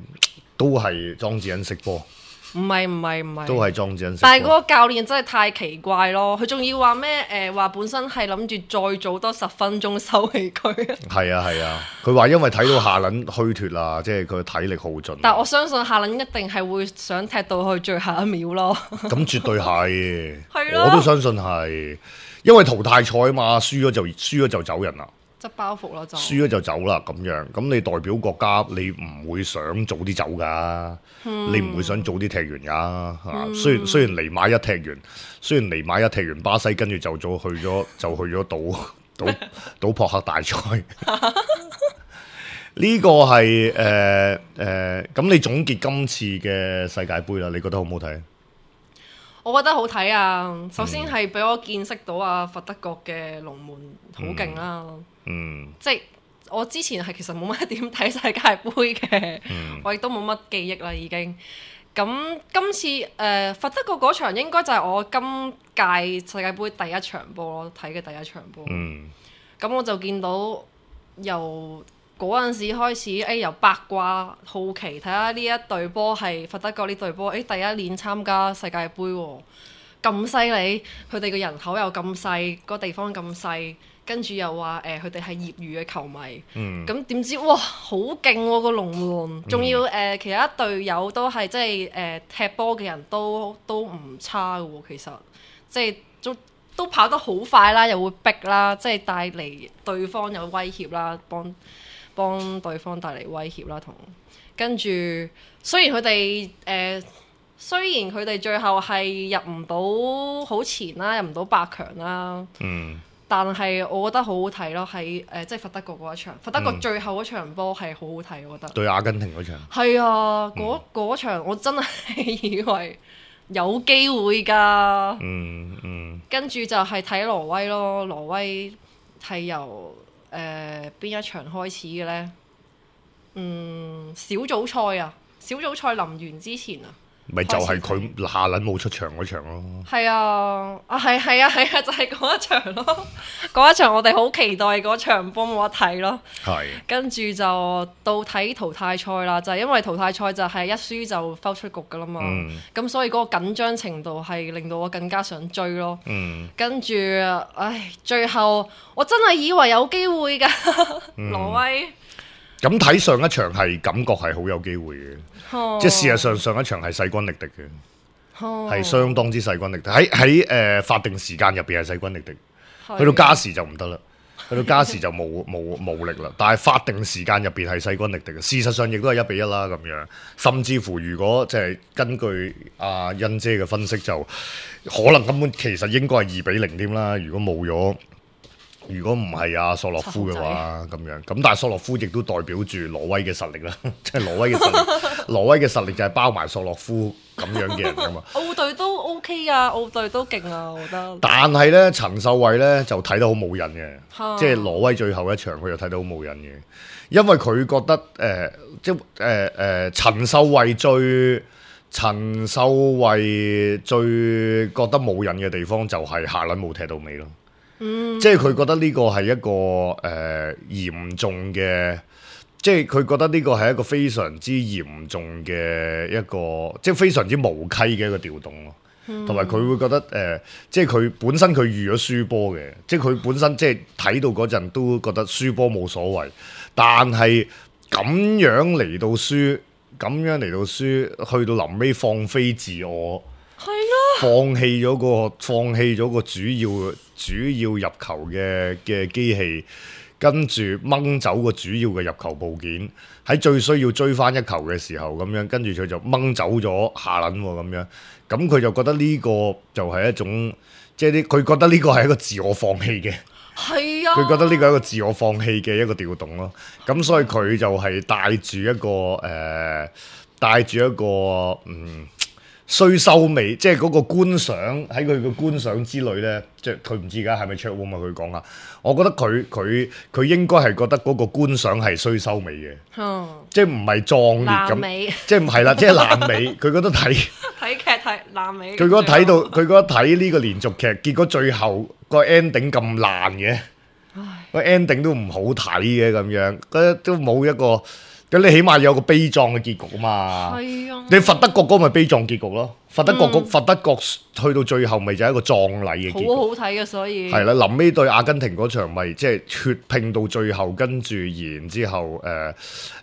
Speaker 3: 都係莊子欣識波。
Speaker 4: 唔係唔係唔係，
Speaker 3: 都係莊子欣識波。
Speaker 4: 但係嗰個教練真係太奇怪咯，佢仲要話咩？誒話本身係諗住再早多十分鐘收起佢。
Speaker 3: 係啊係啊，佢話因為睇到夏倫虛脫啦，即係佢體力耗盡。
Speaker 4: 但我相信夏倫一定係會想踢到去最後一秒咯。
Speaker 3: 咁絕對係，
Speaker 4: 係
Speaker 3: 我都相信係，因為淘汰賽啊嘛，輸咗就輸咗就走人啦。
Speaker 4: 執包袱咯就。
Speaker 3: 輸咗就走啦咁樣，咁你代表國家，你唔會想早啲走㗎，嗯、你唔會想早啲踢完㗎。嗯、雖然雖然尼馬一踢完，雖然尼馬一踢完巴西，跟住就早去咗就去咗賭賭賭撲克大賽。呢個係誒誒，咁、呃呃、你總結今次嘅世界盃啦，你覺得好唔好睇？
Speaker 4: 我覺得好睇啊！首先係俾我見識到啊，佛德國嘅龍門好勁啦。嗯，即係我之前係其實冇乜點睇世界盃嘅，嗯、我亦都冇乜記憶啦已經。咁今次誒、呃、佛德國嗰場應該就係我今屆世界盃第一場波咯，睇嘅第一場波。嗯，咁我就見到由嗰陣時開始，誒、哎、由八卦好奇睇下呢一隊波係佛德國呢隊波，誒、哎、第一年參加世界盃喎，咁犀利，佢哋嘅人口又咁細，個地方咁細，跟住又話誒佢哋係業餘嘅球迷，咁點、嗯、知哇好勁喎個龍門，仲、嗯、要誒、呃、其他隊友都係即係誒、呃、踢波嘅人都都唔差嘅喎，其實即係都都跑得好快啦，又會逼啦，即係帶嚟對方有威脅啦，幫。幫對方帶嚟威脅啦，同跟住雖然佢哋誒，雖然佢哋最後係入唔到好前啦，入唔到八強啦，嗯，但係我覺得好好睇咯，喺誒即係佛德國嗰一場，佛德國最後嗰場波係好好睇，我覺得
Speaker 3: 對阿根廷嗰場
Speaker 4: 係啊，嗰嗰、嗯、場我真係以為有機會㗎，嗯嗯，跟住就係睇挪威咯，挪威係由誒邊、呃、一場開始嘅呢？嗯，小組賽啊，小組賽臨完之前啊，
Speaker 3: 咪就係佢下輪冇出場嗰場咯。
Speaker 4: 係啊，啊係係啊係啊，就係、是、嗰一場咯。嗰一場我哋好期待嗰場波冇得睇咯。係是。跟住就到睇淘汰賽啦，就係、是、因為淘汰賽就係一輸就拋出局噶啦嘛。咁、嗯、所以嗰個緊張程度係令到我更加想追咯。嗯。跟住，唉，最後我真係以為有機會㗎，嗯、挪威。
Speaker 3: 咁睇上一場係感覺係好有機會嘅，哦、即係事實上上一場係勢均力敵嘅，係、哦、相當之勢均力敵。喺喺誒法定時間入邊係勢均力敵，的去到加時就唔得啦，去到加時就冇冇冇力啦。但係法定時間入邊係勢均力敵嘅，事實上亦都係一比一啦咁樣。甚至乎如果即係根據阿欣姐嘅分析，就可能根本其實應該係二比零添啦。如果冇咗如果唔係阿索洛夫嘅話，咁樣咁，但係索洛夫亦都代表住挪威嘅實力啦，即係挪威嘅實力，挪威嘅實力就係包埋索洛夫咁樣嘅人噶嘛。
Speaker 4: 澳隊都 OK 啊，澳隊都勁啊，我覺得。
Speaker 3: 但係咧，陳秀慧咧就睇得好冇癮嘅，即係挪威最後一場佢就睇得好冇癮嘅，因為佢覺得誒、呃，即係誒誒陳秀慧最陳秀慧最覺得冇癮嘅地方就係下輪冇踢到尾咯。嗯、即係佢覺得呢個係一個誒、呃、嚴重嘅，即係佢覺得呢個係一個非常之嚴重嘅一個，即係非常之無稽嘅一個調動咯。同埋佢會覺得誒、呃，即係佢本身佢預咗輸波嘅，即係佢本身即係睇到嗰陣都覺得輸波冇所謂，但係咁樣嚟到輸，咁樣嚟到輸，去到臨尾放飛自我。係咯，放棄咗個放棄咗個主要主要入球嘅嘅機器，跟住掹走個主要嘅入球部件，喺最需要追翻一球嘅時候咁樣，跟住佢就掹走咗下輪咁樣，咁佢就覺得呢個就係一種即係啲佢覺得呢個係一個自我放棄嘅，係啊，佢覺得呢個係一個自我放棄嘅一個調動咯，咁所以佢就係帶住一個誒、呃、帶住一個嗯。衰收尾，即係嗰個觀賞喺佢嘅觀賞之類咧，即係佢唔知而家係咪 check room 啊？佢講啊，我覺得佢佢佢應該係覺得嗰個觀賞係衰收尾嘅，嗯、即係唔係壯烈咁，即係唔係啦，即係爛尾。佢覺得睇
Speaker 4: 睇劇睇爛尾。佢
Speaker 3: 覺得睇到佢覺得睇呢個連續劇，結果最後個 ending 咁爛嘅，個 ending 都唔好睇嘅咁樣，覺得都冇一個。咁你起碼有個悲壯嘅結局啊嘛，係啊，你佛德國嗰咪悲壯結局咯，佛德國嗰、嗯、佛德國去到最後咪就係一個葬禮嘅結局，好好睇嘅，所以係啦，臨尾對阿根廷嗰場咪即係血拼到最後，跟住然之後誒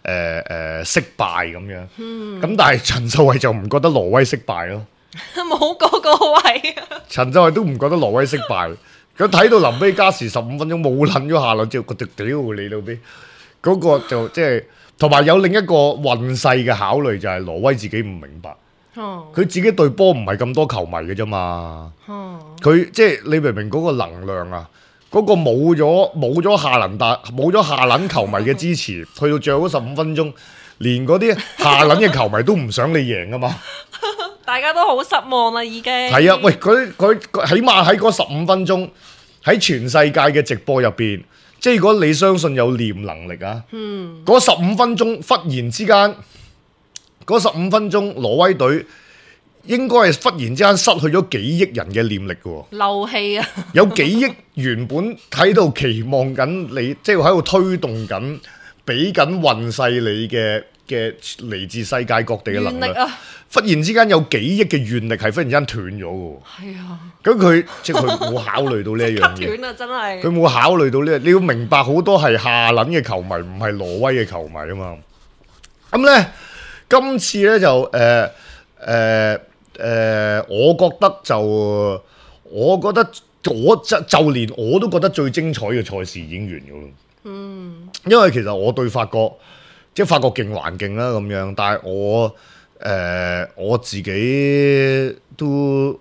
Speaker 3: 誒誒失敗咁樣，咁、嗯、但係陳秀慧就唔覺得挪威失敗咯，冇嗰個位啊，陳秀慧都唔覺得挪威失敗，佢睇到臨尾加時十五分鐘冇撚咗下輪之後，覺得屌你老味，嗰、那個就即係。同埋有另一個運勢嘅考慮就係挪威自己唔明白，佢、哦、自己對波唔係咁多球迷嘅啫嘛，佢、哦、即係你明唔明嗰個能量啊？嗰、嗰個冇咗冇咗下輪大冇咗下輪球迷嘅支持，去到最後嗰十五分鐘，連嗰啲下輪嘅球迷都唔想你贏噶嘛，大家都好失望啦已經。係啊，喂，佢佢起碼喺嗰十五分鐘喺全世界嘅直播入邊。即係如果你相信有念能力啊，嗰十五分鐘忽然之間，嗰十五分鐘挪威隊應該係忽然之間失去咗幾億人嘅念力嘅喎，漏氣啊！有幾億原本喺度期望緊你，即係喺度推動緊，俾緊運勢你嘅嘅嚟自世界各地嘅能力，啊、忽然之間有幾億嘅願力係忽然之間斷咗嘅。係啊，咁佢即係佢冇考慮到呢一樣嘢。斷啊，真係。佢冇考慮到呢、這個，你要明白好多係下輪嘅球迷，唔係挪威嘅球迷啊嘛。咁咧，今次咧就誒誒誒，我覺得就我覺得我就就連我都覺得最精彩嘅賽事已經完咗咯。嗯，因為其實我對法國。即係法國勁還勁啦咁樣，但係我誒、呃、我自己都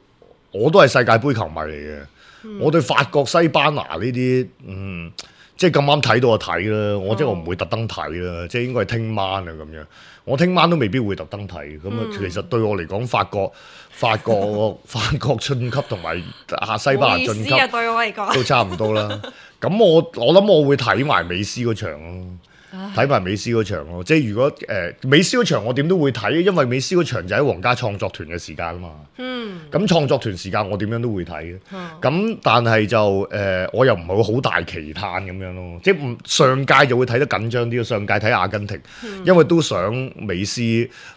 Speaker 3: 我都係世界盃球迷嚟嘅，嗯、我對法國西班牙呢啲嗯即係咁啱睇到就睇啦，我即係我唔會特登睇啦，即係應該係聽晚啊咁樣，我聽晚都未必會特登睇，咁啊、嗯、其實對我嚟講法國法國法國晉級同埋啊西班牙晉級對我嚟講都差唔多啦，咁我我諗我會睇埋美斯嗰場咯。睇埋美斯嗰場咯，即係如果誒、呃、美斯嗰場我點都會睇，因為美斯嗰場就喺皇家創作團嘅時間啊嘛。嗯。咁創作團時間我點樣都會睇嘅。咁、嗯、但係就誒、呃、我又唔係會好大期盼咁樣咯，即係唔上屆就會睇得緊張啲，上屆睇阿根廷，嗯、因為都想美斯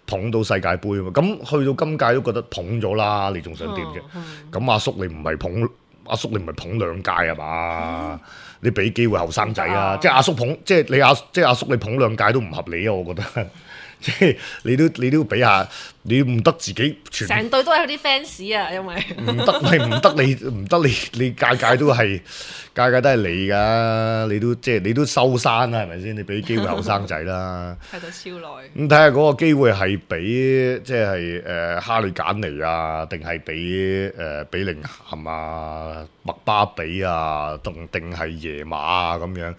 Speaker 3: 捧到世界盃啊嘛。咁去到今屆都覺得捧咗啦，你仲想點啫？咁、嗯嗯、阿叔你唔係捧阿叔你唔係捧兩屆係嘛？嗯你俾機會後生仔啊！即係阿叔捧，即係你阿即係阿叔你捧兩屆都唔合理啊！我覺得，即係你都你都要俾下，你唔得自己全
Speaker 4: 成隊都係佢啲 fans 啊，因為
Speaker 3: 唔得係唔得你唔得你你屆屆都係屆屆都係你㗎，你都即係你都收山啦，係咪先？你俾機會後生仔啦，
Speaker 4: 睇到超耐。
Speaker 3: 咁睇下嗰個機會係俾即係誒哈利簡尼啊，定係俾誒比寧咸啊、麥巴比啊，定定係耶馬啊咁樣。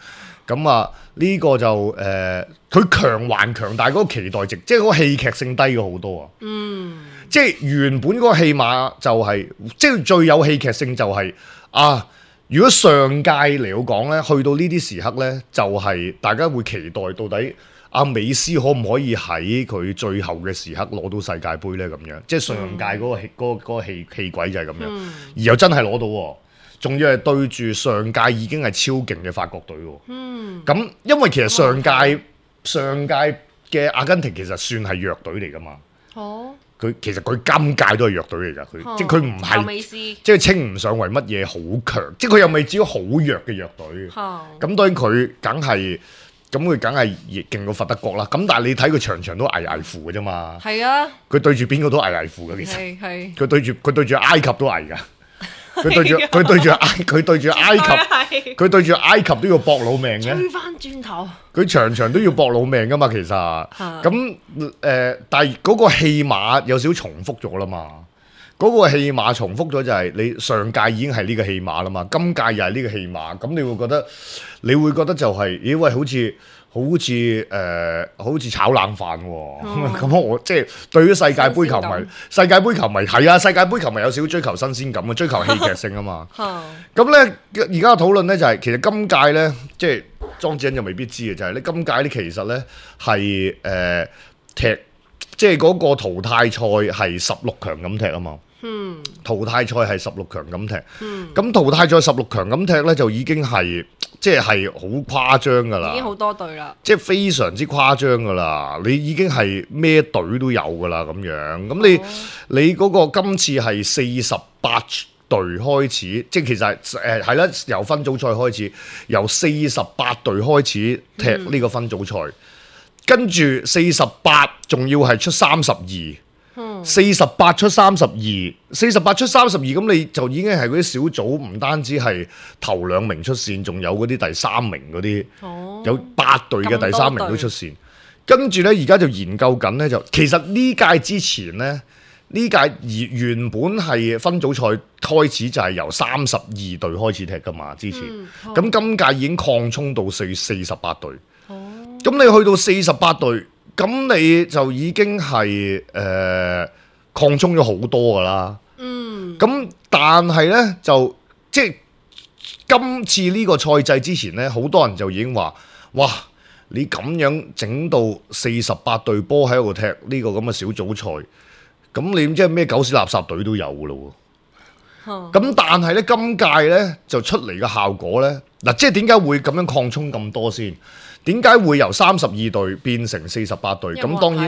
Speaker 3: 咁啊呢個就誒，佢、呃、強還強，但係嗰個期待值，即係嗰個戲劇性低咗好多啊。嗯，即係原本嗰個戲碼就係、是，即係最有戲劇性就係、是、啊。如果上屆嚟講咧，去到呢啲時刻咧，就係、是、大家會期待到底阿、啊、美斯可唔可以喺佢最後嘅時刻攞到世界盃咧？咁樣，即係上屆嗰、那個戲嗰、嗯那個戲戲軌就係咁樣，嗯、而又真係攞到喎。仲要係對住上屆已經係超勁嘅法國隊喎。嗯。咁因為其實上屆、嗯、上屆嘅阿根廷其實算係弱隊嚟㗎嘛。哦。佢其實佢今屆都係弱隊嚟㗎，佢、哦、即係佢唔係，即係稱唔上為乜嘢好強，即係佢又未至於好弱嘅弱隊。哦。咁當然佢梗係，咁佢梗係勁過佛得國啦。咁但係你睇佢場場都危危乎嘅啫嘛。係啊。佢對住邊個都危危乎嘅其實。係係。佢對住佢對住埃及都危㗎。佢對住佢對住埃佢對住埃及，佢對住埃及都要搏老命嘅。追翻轉頭，佢場場都要搏老命噶嘛，其實。咁誒、呃，但係嗰個戲碼有少少重複咗啦嘛。嗰、嗰個戲碼重複咗就係你上屆已經係呢個戲碼啦嘛，今屆又係呢個戲碼，咁你會覺得你會覺得就係、是，咦喂，好似〜好似誒、呃，好似炒冷飯喎、哦。咁、哦、我即係對於世界盃球迷，世界盃球迷係啊，世界盃球迷有少少追求新鮮感啊，追求戲劇性啊嘛。咁咧而家嘅討論咧就係、是，其實今屆咧即係莊子欣就未必知嘅，就係、是、咧今屆咧其實咧係誒踢，即係嗰個淘汰賽係十六強咁踢啊嘛。嗯，淘汰賽係十六強咁踢，咁、嗯、淘汰賽十六強咁踢咧就已經係即係係好誇張噶啦，已經好多隊啦，即係非常之誇張噶啦，你已經係咩隊都有噶啦咁樣，咁你、哦、你嗰個今次係四十八隊開始，即係其實誒係啦，由分組賽開始，由四十八隊開始踢呢個分組賽，嗯、跟住四十八仲要係出三十二。四十八出三十二，四十八出三十二，咁你就已經係嗰啲小組，唔單止係頭兩名出線，仲有嗰啲第三名嗰啲，哦、有八隊嘅第三名都出線。跟住呢，而家就研究緊呢，就其實呢屆之前呢，呢屆原本係分組賽開始就係由三十二隊開始踢噶嘛，之前。咁、嗯、今屆已經擴充到四四十八隊。哦，咁你去到四十八隊。咁你就已經係誒擴充咗好多㗎啦。嗯。咁但係呢，就即係今次呢個賽制之前呢，好多人就已經話：哇！你咁樣整到四十八隊波喺度踢呢個咁嘅小組賽，咁你即係咩狗屎垃圾隊都有㗎咯喎。咁、嗯、但係呢，今屆呢就出嚟嘅效果呢，嗱，即係點解會咁樣擴充咁多先？點解會由三十二隊變成四十八隊？咁當然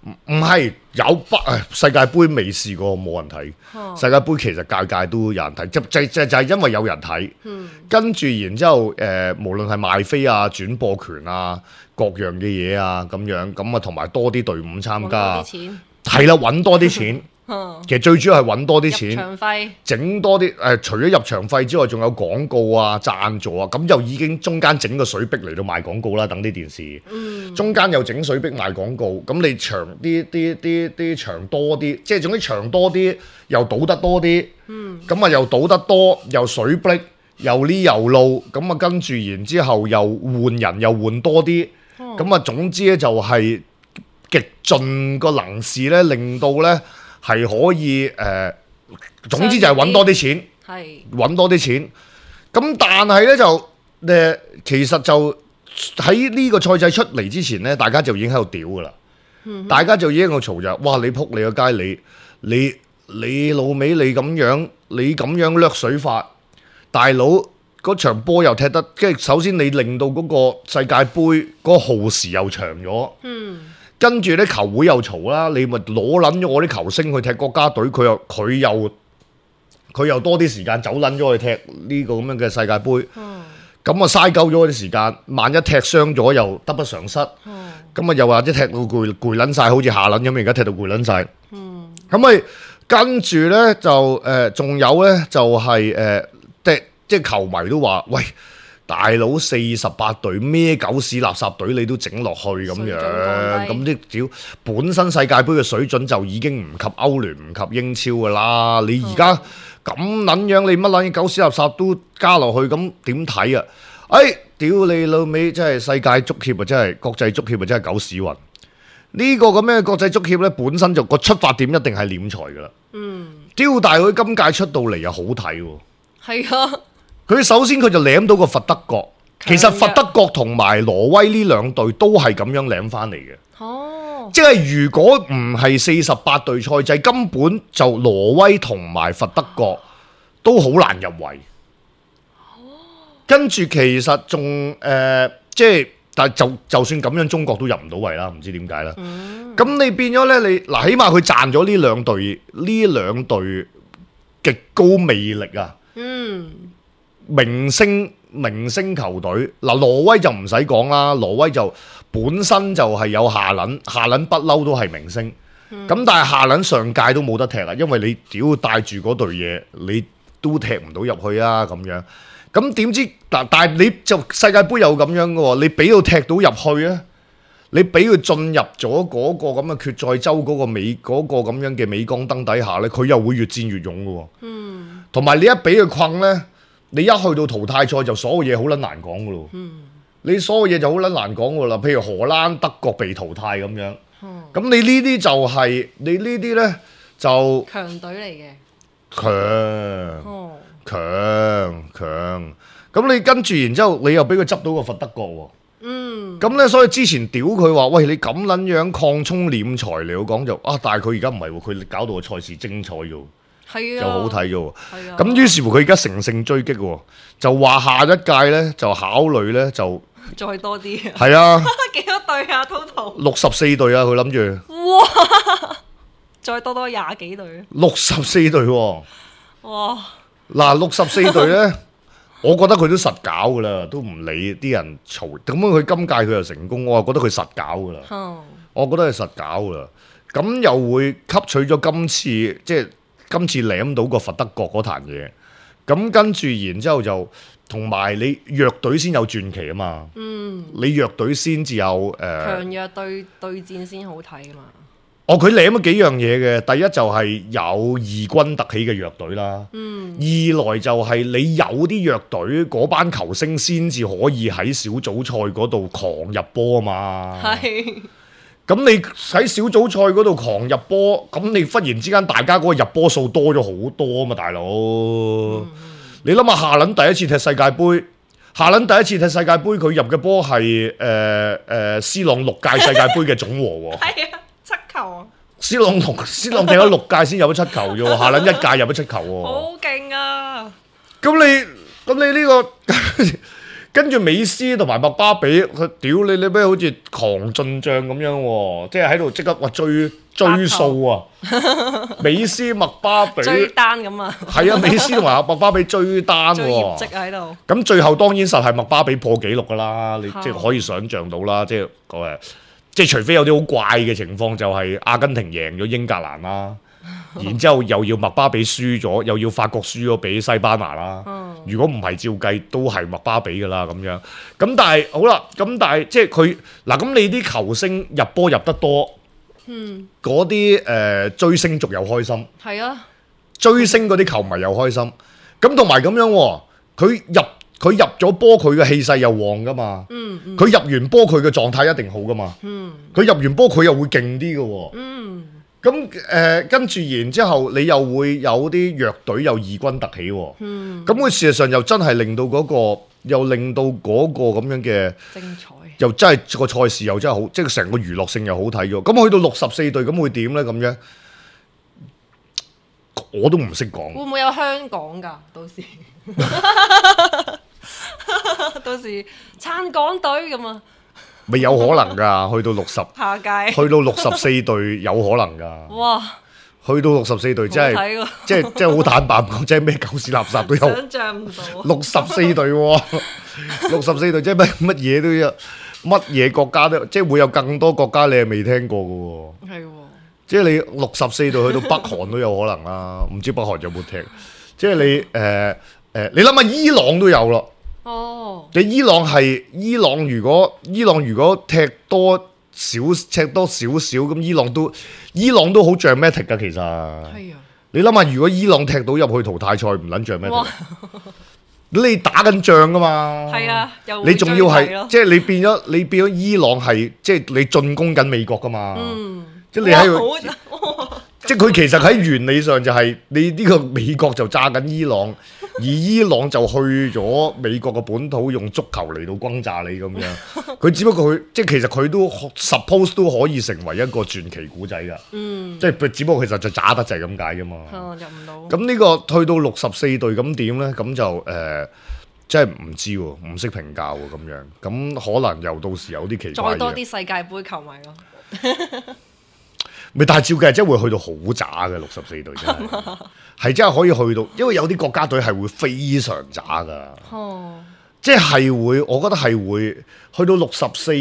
Speaker 3: 唔唔係有不世界盃未試過冇人睇。哦、世界盃其實屆屆都有人睇，就就就就係因為有人睇。嗯、跟住然之後誒、呃，無論係賣飛啊、轉播權啊、各樣嘅嘢啊咁樣，咁啊同埋多啲隊伍參加，係啦，揾多啲錢。其實最主要係揾多啲錢，入場費整多啲誒、呃，除咗入場費之外，仲有廣告啊、贊助啊，咁就已經中間整個水逼嚟到賣廣告啦。等啲電視，嗯、中間又整水逼賣廣告，咁你場啲啲啲啲場多啲，即係總之場多啲，又賭得多啲，咁啊、嗯、又賭得多，又水逼，又呢又路，咁啊跟住然之後又換人又換多啲，咁啊、哦、總之咧就係極盡個能事咧，令到咧。係可以誒、呃，總之就係揾多啲錢，揾多啲錢。咁但係咧就誒、呃，其實就喺呢個賽制出嚟之前咧，大家就已經喺度屌噶啦。嗯、哼大家就已經喺度嘈就，哇！你撲你個街，你你你老味，你咁樣，你咁樣掠水法，大佬嗰場波又踢得，即係首先你令到嗰個世界盃嗰個耗時又長咗。嗯。跟住咧球會又嘈啦，你咪攞撚咗我啲球星去踢國家隊，佢又佢又佢又多啲時間走撚咗去踢呢個咁樣嘅世界盃。咁啊嘥鳩咗啲時間，萬一踢傷咗又得不償失。咁啊、嗯、又或者踢到攰攰撚晒，好似下撚咁，而家踢到攰撚晒。咁咪、嗯、跟住咧就誒，仲、呃、有咧就係、是、誒、呃，即即係球迷都話：喂，大佬四十八隊咩狗屎垃圾隊你都整落去咁樣，咁啲屌本身世界盃嘅水準就已經唔及歐聯唔及英超噶啦，你而家咁撚樣，你乜撚嘢狗屎垃圾都加落去，咁點睇啊？哎，屌你老味，真係世界足協啊，真係國際足協啊，真係狗屎運。呢、這個咁嘅國際足協咧，本身就個出發點一定係斂財噶啦。嗯，屌大佢今屆出到嚟又好睇喎。係啊。佢首先佢就舐到個佛德國，其實佛德國同埋挪威呢兩隊都係咁樣舐翻嚟嘅。哦，即係如果唔係四十八隊賽制，根本就挪威同埋佛德國都好難入圍。跟住其實仲誒、呃，即係但係就就算咁樣，中國都入唔到圍啦，唔知點解啦。咁、嗯、你變咗呢？你嗱起碼佢賺咗呢兩隊呢兩隊極高魅力啊！嗯。明星明星球隊嗱，挪威就唔使講啦，挪威就本身就係有下輪，下輪不嬲都係明星，咁、嗯、但係下輪上屆都冇得踢啊，因為你屌帶住嗰隊嘢，你都踢唔到入去啊咁樣，咁點知嗱？但係你就世界盃又咁樣嘅喎，你俾到踢到入去啊，你俾佢進入咗嗰個咁嘅決賽周嗰個美嗰、嗰個咁樣嘅鎂光燈底下咧，佢又會越戰越勇嘅喎，嗯，同埋你一俾佢困咧。你一去到淘汰賽就所有嘢好撚難講噶咯，嗯、你所有嘢就好撚難講噶啦。譬如荷蘭、德國被淘汰咁樣，咁、嗯、你呢啲就係、是、你呢啲咧就
Speaker 4: 強隊嚟嘅，
Speaker 3: 強強強。咁你跟住然之後，你又俾佢執到個佛德國喎。嗯，咁咧所以之前屌佢話，喂你咁撚樣擴充斂財嚟講就啊，但係佢而家唔係喎，佢搞到個賽事精彩咗。係啊，就好睇咗喎。咁於是乎佢而家乘勝追擊喎，就話下一屆咧就考慮咧就
Speaker 4: 再多啲。
Speaker 3: 係啊，
Speaker 4: 幾多隊啊 ？total
Speaker 3: 六十四隊啊！佢諗住
Speaker 4: 哇，再多多廿幾隊。
Speaker 3: 六十四隊喎。
Speaker 4: 哇！
Speaker 3: 嗱，六十四隊咧，我覺得佢都實搞噶啦，都唔理啲人嘈。咁樣佢今屆佢又成功，我就覺得佢實搞噶啦。嗯、我覺得佢實搞噶啦。咁又會吸取咗今次即係。今次舐到個佛德國嗰壇嘢，咁跟住然之後就同埋你弱隊先有傳奇啊嘛，嗯，你弱隊先至有誒、呃、
Speaker 4: 強弱對對戰先好睇啊嘛。
Speaker 3: 哦，佢舐咗幾樣嘢嘅，第一就係有異軍突起嘅弱隊啦，嗯，二來就係你有啲弱隊嗰班球星先至可以喺小組賽嗰度狂入波啊嘛，係。咁你喺小組賽嗰度狂入波，咁你忽然之間大家嗰個入波數多咗好多啊嘛，大佬！嗯、你諗下夏倫第一次踢世界盃，夏倫第一次踢世界盃，佢入嘅波係誒誒 C 朗六屆世界盃嘅總和喎。係啊，七球啊！C 朗六 C 朗踢咗六屆先入咗七球啫喎，夏倫一屆入咗七球喎。
Speaker 4: 好勁啊！
Speaker 3: 咁你咁你呢、呢個？跟住美斯同埋麥巴比，佢屌你你咩好似狂進帳咁樣喎，即係喺度即刻話追追數啊！美斯麥巴比
Speaker 4: 追單咁啊！
Speaker 3: 係啊，美斯同埋麥巴比追單喎，追業績喺度。咁最後當然實係麥巴比破紀錄噶啦，你即係可以想像到啦，即係誒，即係除非有啲好怪嘅情況，就係阿根廷贏咗英格蘭啦。然之後又要麥巴比輸咗，又要法國輸咗俾西班牙啦。嗯、如果唔係照計都係麥巴比噶啦咁樣。咁但係好啦，咁但係即係佢嗱咁你啲球星入波入得多，嗰啲誒追星族又開心。係啊，追星嗰啲球迷又開心。咁同埋咁樣、哦，佢入佢入咗波，佢嘅氣勢又旺噶嘛。佢、嗯嗯、入完波，佢嘅狀態一定好噶嘛。佢、嗯、入完波，佢又會勁啲噶喎。嗯咁誒、呃，跟住然之後，你又會有啲弱隊又異軍突起喎、哦。嗯。咁佢事實上又真係令到嗰、那個，又令到嗰個咁樣嘅精彩，又真係個賽事又真係好，即係成個娛樂性又好睇咗。咁去到六十四隊，咁會點咧？咁樣我都唔識講。會
Speaker 4: 唔會有香港㗎？到時到時撐港隊咁啊！
Speaker 3: 未有可能噶，去到六十，下屆去到六十四隊有可能噶。哇！去到六十四隊真係，即係即係好坦白講，即係咩狗屎垃圾都有。
Speaker 4: 想像唔到。
Speaker 3: 六十四隊喎，六十四隊即係乜乜嘢都有，乜嘢國家都，即係會有更多國家你係未聽過嘅喎。係喎。即係你六十四隊去到北韓都有可能啦，唔知北韓有冇踢？即係你誒誒、呃呃，你諗下伊朗都有咯。哦。你伊朗係伊朗，如果伊朗如果踢多。少赤多少少咁，伊朗都伊朗都好 dramatic 㗎，其實。係啊。你諗下，如果伊朗踢到入去淘汰賽，唔撚 dramatic。你打緊仗㗎嘛？係啊。你仲要係即係你變咗你變咗伊朗係即係你進攻緊美國㗎嘛？嗯。即係你喺度。即係佢其實喺原理上就係你呢個美國就炸緊伊朗，而伊朗就去咗美國嘅本土用足球嚟到轟炸你咁樣。佢只不過佢即係其實佢都 suppose 都可以成為一個傳奇古仔㗎。嗯，即係只不過其實就渣得滯咁解啫嘛。哦，入唔到。咁呢個去到六十四隊咁點咧？咁就誒，即係唔知喎，唔識評價喎咁樣。咁可能又到時有啲奇怪嘅。再多啲世界盃球迷咯。咪但係照計真係會去到好渣嘅六十四隊真係，係真係可以去到，因為有啲國家隊係會非常渣噶，哦、即係會，我覺得係會去到六十四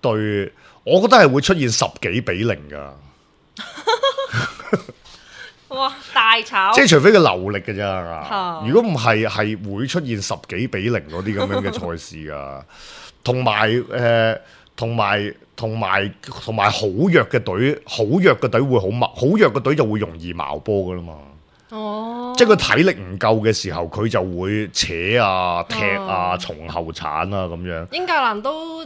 Speaker 3: 隊，我覺得係會出現十幾比零噶。哇！大炒，即係除非佢流力嘅咋，如果唔係，係會出現十幾比零嗰啲咁樣嘅賽事噶，同埋誒。同埋同埋同埋好弱嘅隊，好弱嘅隊會好矛，好弱嘅隊就會容易矛波噶啦嘛。哦，即係佢體力唔夠嘅時候，佢就會扯啊、踢啊、從後鏟啊咁樣。英格蘭都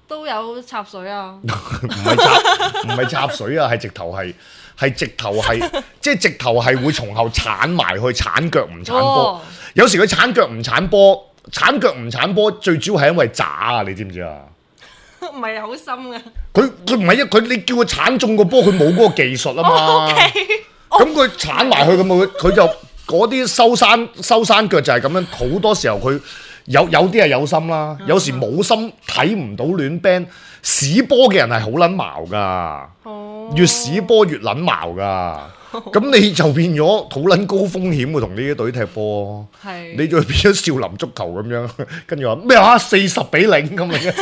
Speaker 3: 都有插水啊？唔係插，唔係插水啊，係直頭係係直頭係，即係直頭係會從後鏟埋去，鏟腳唔鏟波。哦、有時佢鏟腳唔鏟波，鏟腳唔鏟波，最主要係因為渣啊！你知唔知啊？唔係好深嘅，佢佢唔係一佢你叫佢鏟中個波，佢冇嗰個技術啊嘛。咁佢鏟埋去咁佢佢就嗰啲收山收山腳就係咁樣。好多時候佢有有啲係有心啦，有時冇心睇唔到亂 band 屎波嘅人係好撚矛噶，越屎波越撚矛噶。咁你就變咗好撚高風險喎，同呢啲隊踢波，是你就變咗少林足球咁樣，跟住話咩啊四十比零咁樣，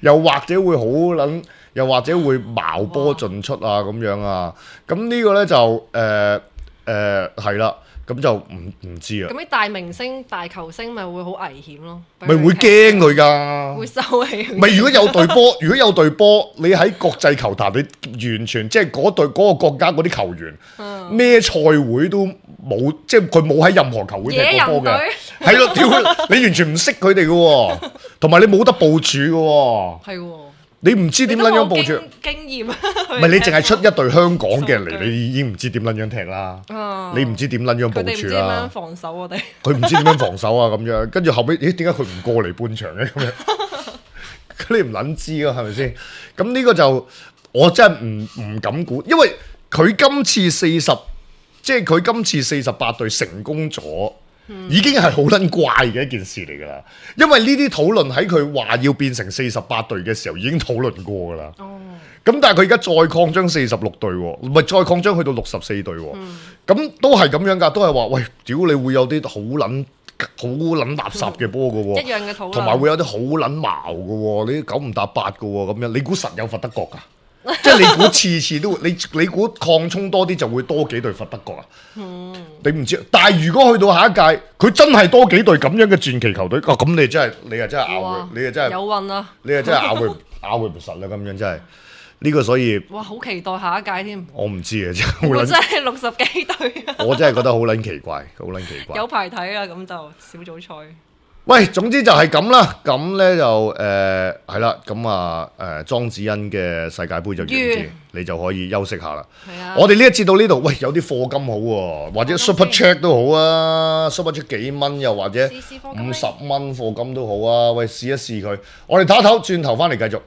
Speaker 3: 又或者會好撚，又或者會矛波盡出啊咁樣啊，咁呢個咧就誒誒係啦。咁就唔唔知啊！咁啲大明星、大球星咪會好危險咯，咪會驚佢㗎，會收起。咪如果有隊波，如果有隊波，你喺國際球壇，你完全即係嗰隊嗰個國家嗰啲球員，咩賽會都冇，即係佢冇喺任何球會踢過波嘅，係咯，屌你完全唔識佢哋嘅喎，同埋你冇得部署嘅喎，係喎。你唔知點撚樣部署經驗，唔係你淨係出一隊香港嘅人嚟，你已經唔知點撚樣踢啦。啊、你唔知點撚樣部署啦。佢哋唔知點樣防守我哋。佢唔知點樣防守啊咁樣，跟住後尾，咦？點解佢唔過嚟半場嘅咁樣？你唔撚知啊，係咪先？咁呢個就我真係唔唔敢估，因為佢今次四十，即係佢今次四十八隊成功咗。已經係好撚怪嘅一件事嚟㗎啦，因為呢啲討論喺佢話要變成四十八隊嘅時候已經討論過㗎啦。哦，咁但係佢而家再擴張四十六隊，唔係再擴張去到六十四隊，咁、嗯、都係咁樣㗎，都係話喂，屌你會有啲好撚好撚垃圾嘅波㗎喎，一樣嘅討論，同埋會有啲好撚矛㗎喎，你九唔搭八㗎喎，咁樣你估實有罰德國㗎？即係你估次次都你你估擴充多啲就會多幾隊罰德國啊？嗯、你唔知，但係如果去到下一屆，佢真係多幾隊咁樣嘅傳奇球隊，哦咁你真係你係真係拗佢，你係真係有運啊！你係真係拗佢拗佢唔實啦，咁樣真係呢、這個所以哇，好期待下一屆添！我唔知啊，真係我真係六十幾隊啊！我真係覺得好撚奇怪，好撚奇怪。有排睇啦，咁就小組賽。喂，總之就係咁啦，咁咧就誒係啦，咁啊誒莊子欣嘅世界盃就完結，完你就可以休息下啦。係啊，我哋呢一節到呢度，喂有啲課金好喎、啊，或者 Super Chat 都好啊 ，Super Chat 幾蚊又或者五十蚊課金都好啊，喂試一試佢，我哋唞一唞，轉頭翻嚟繼續。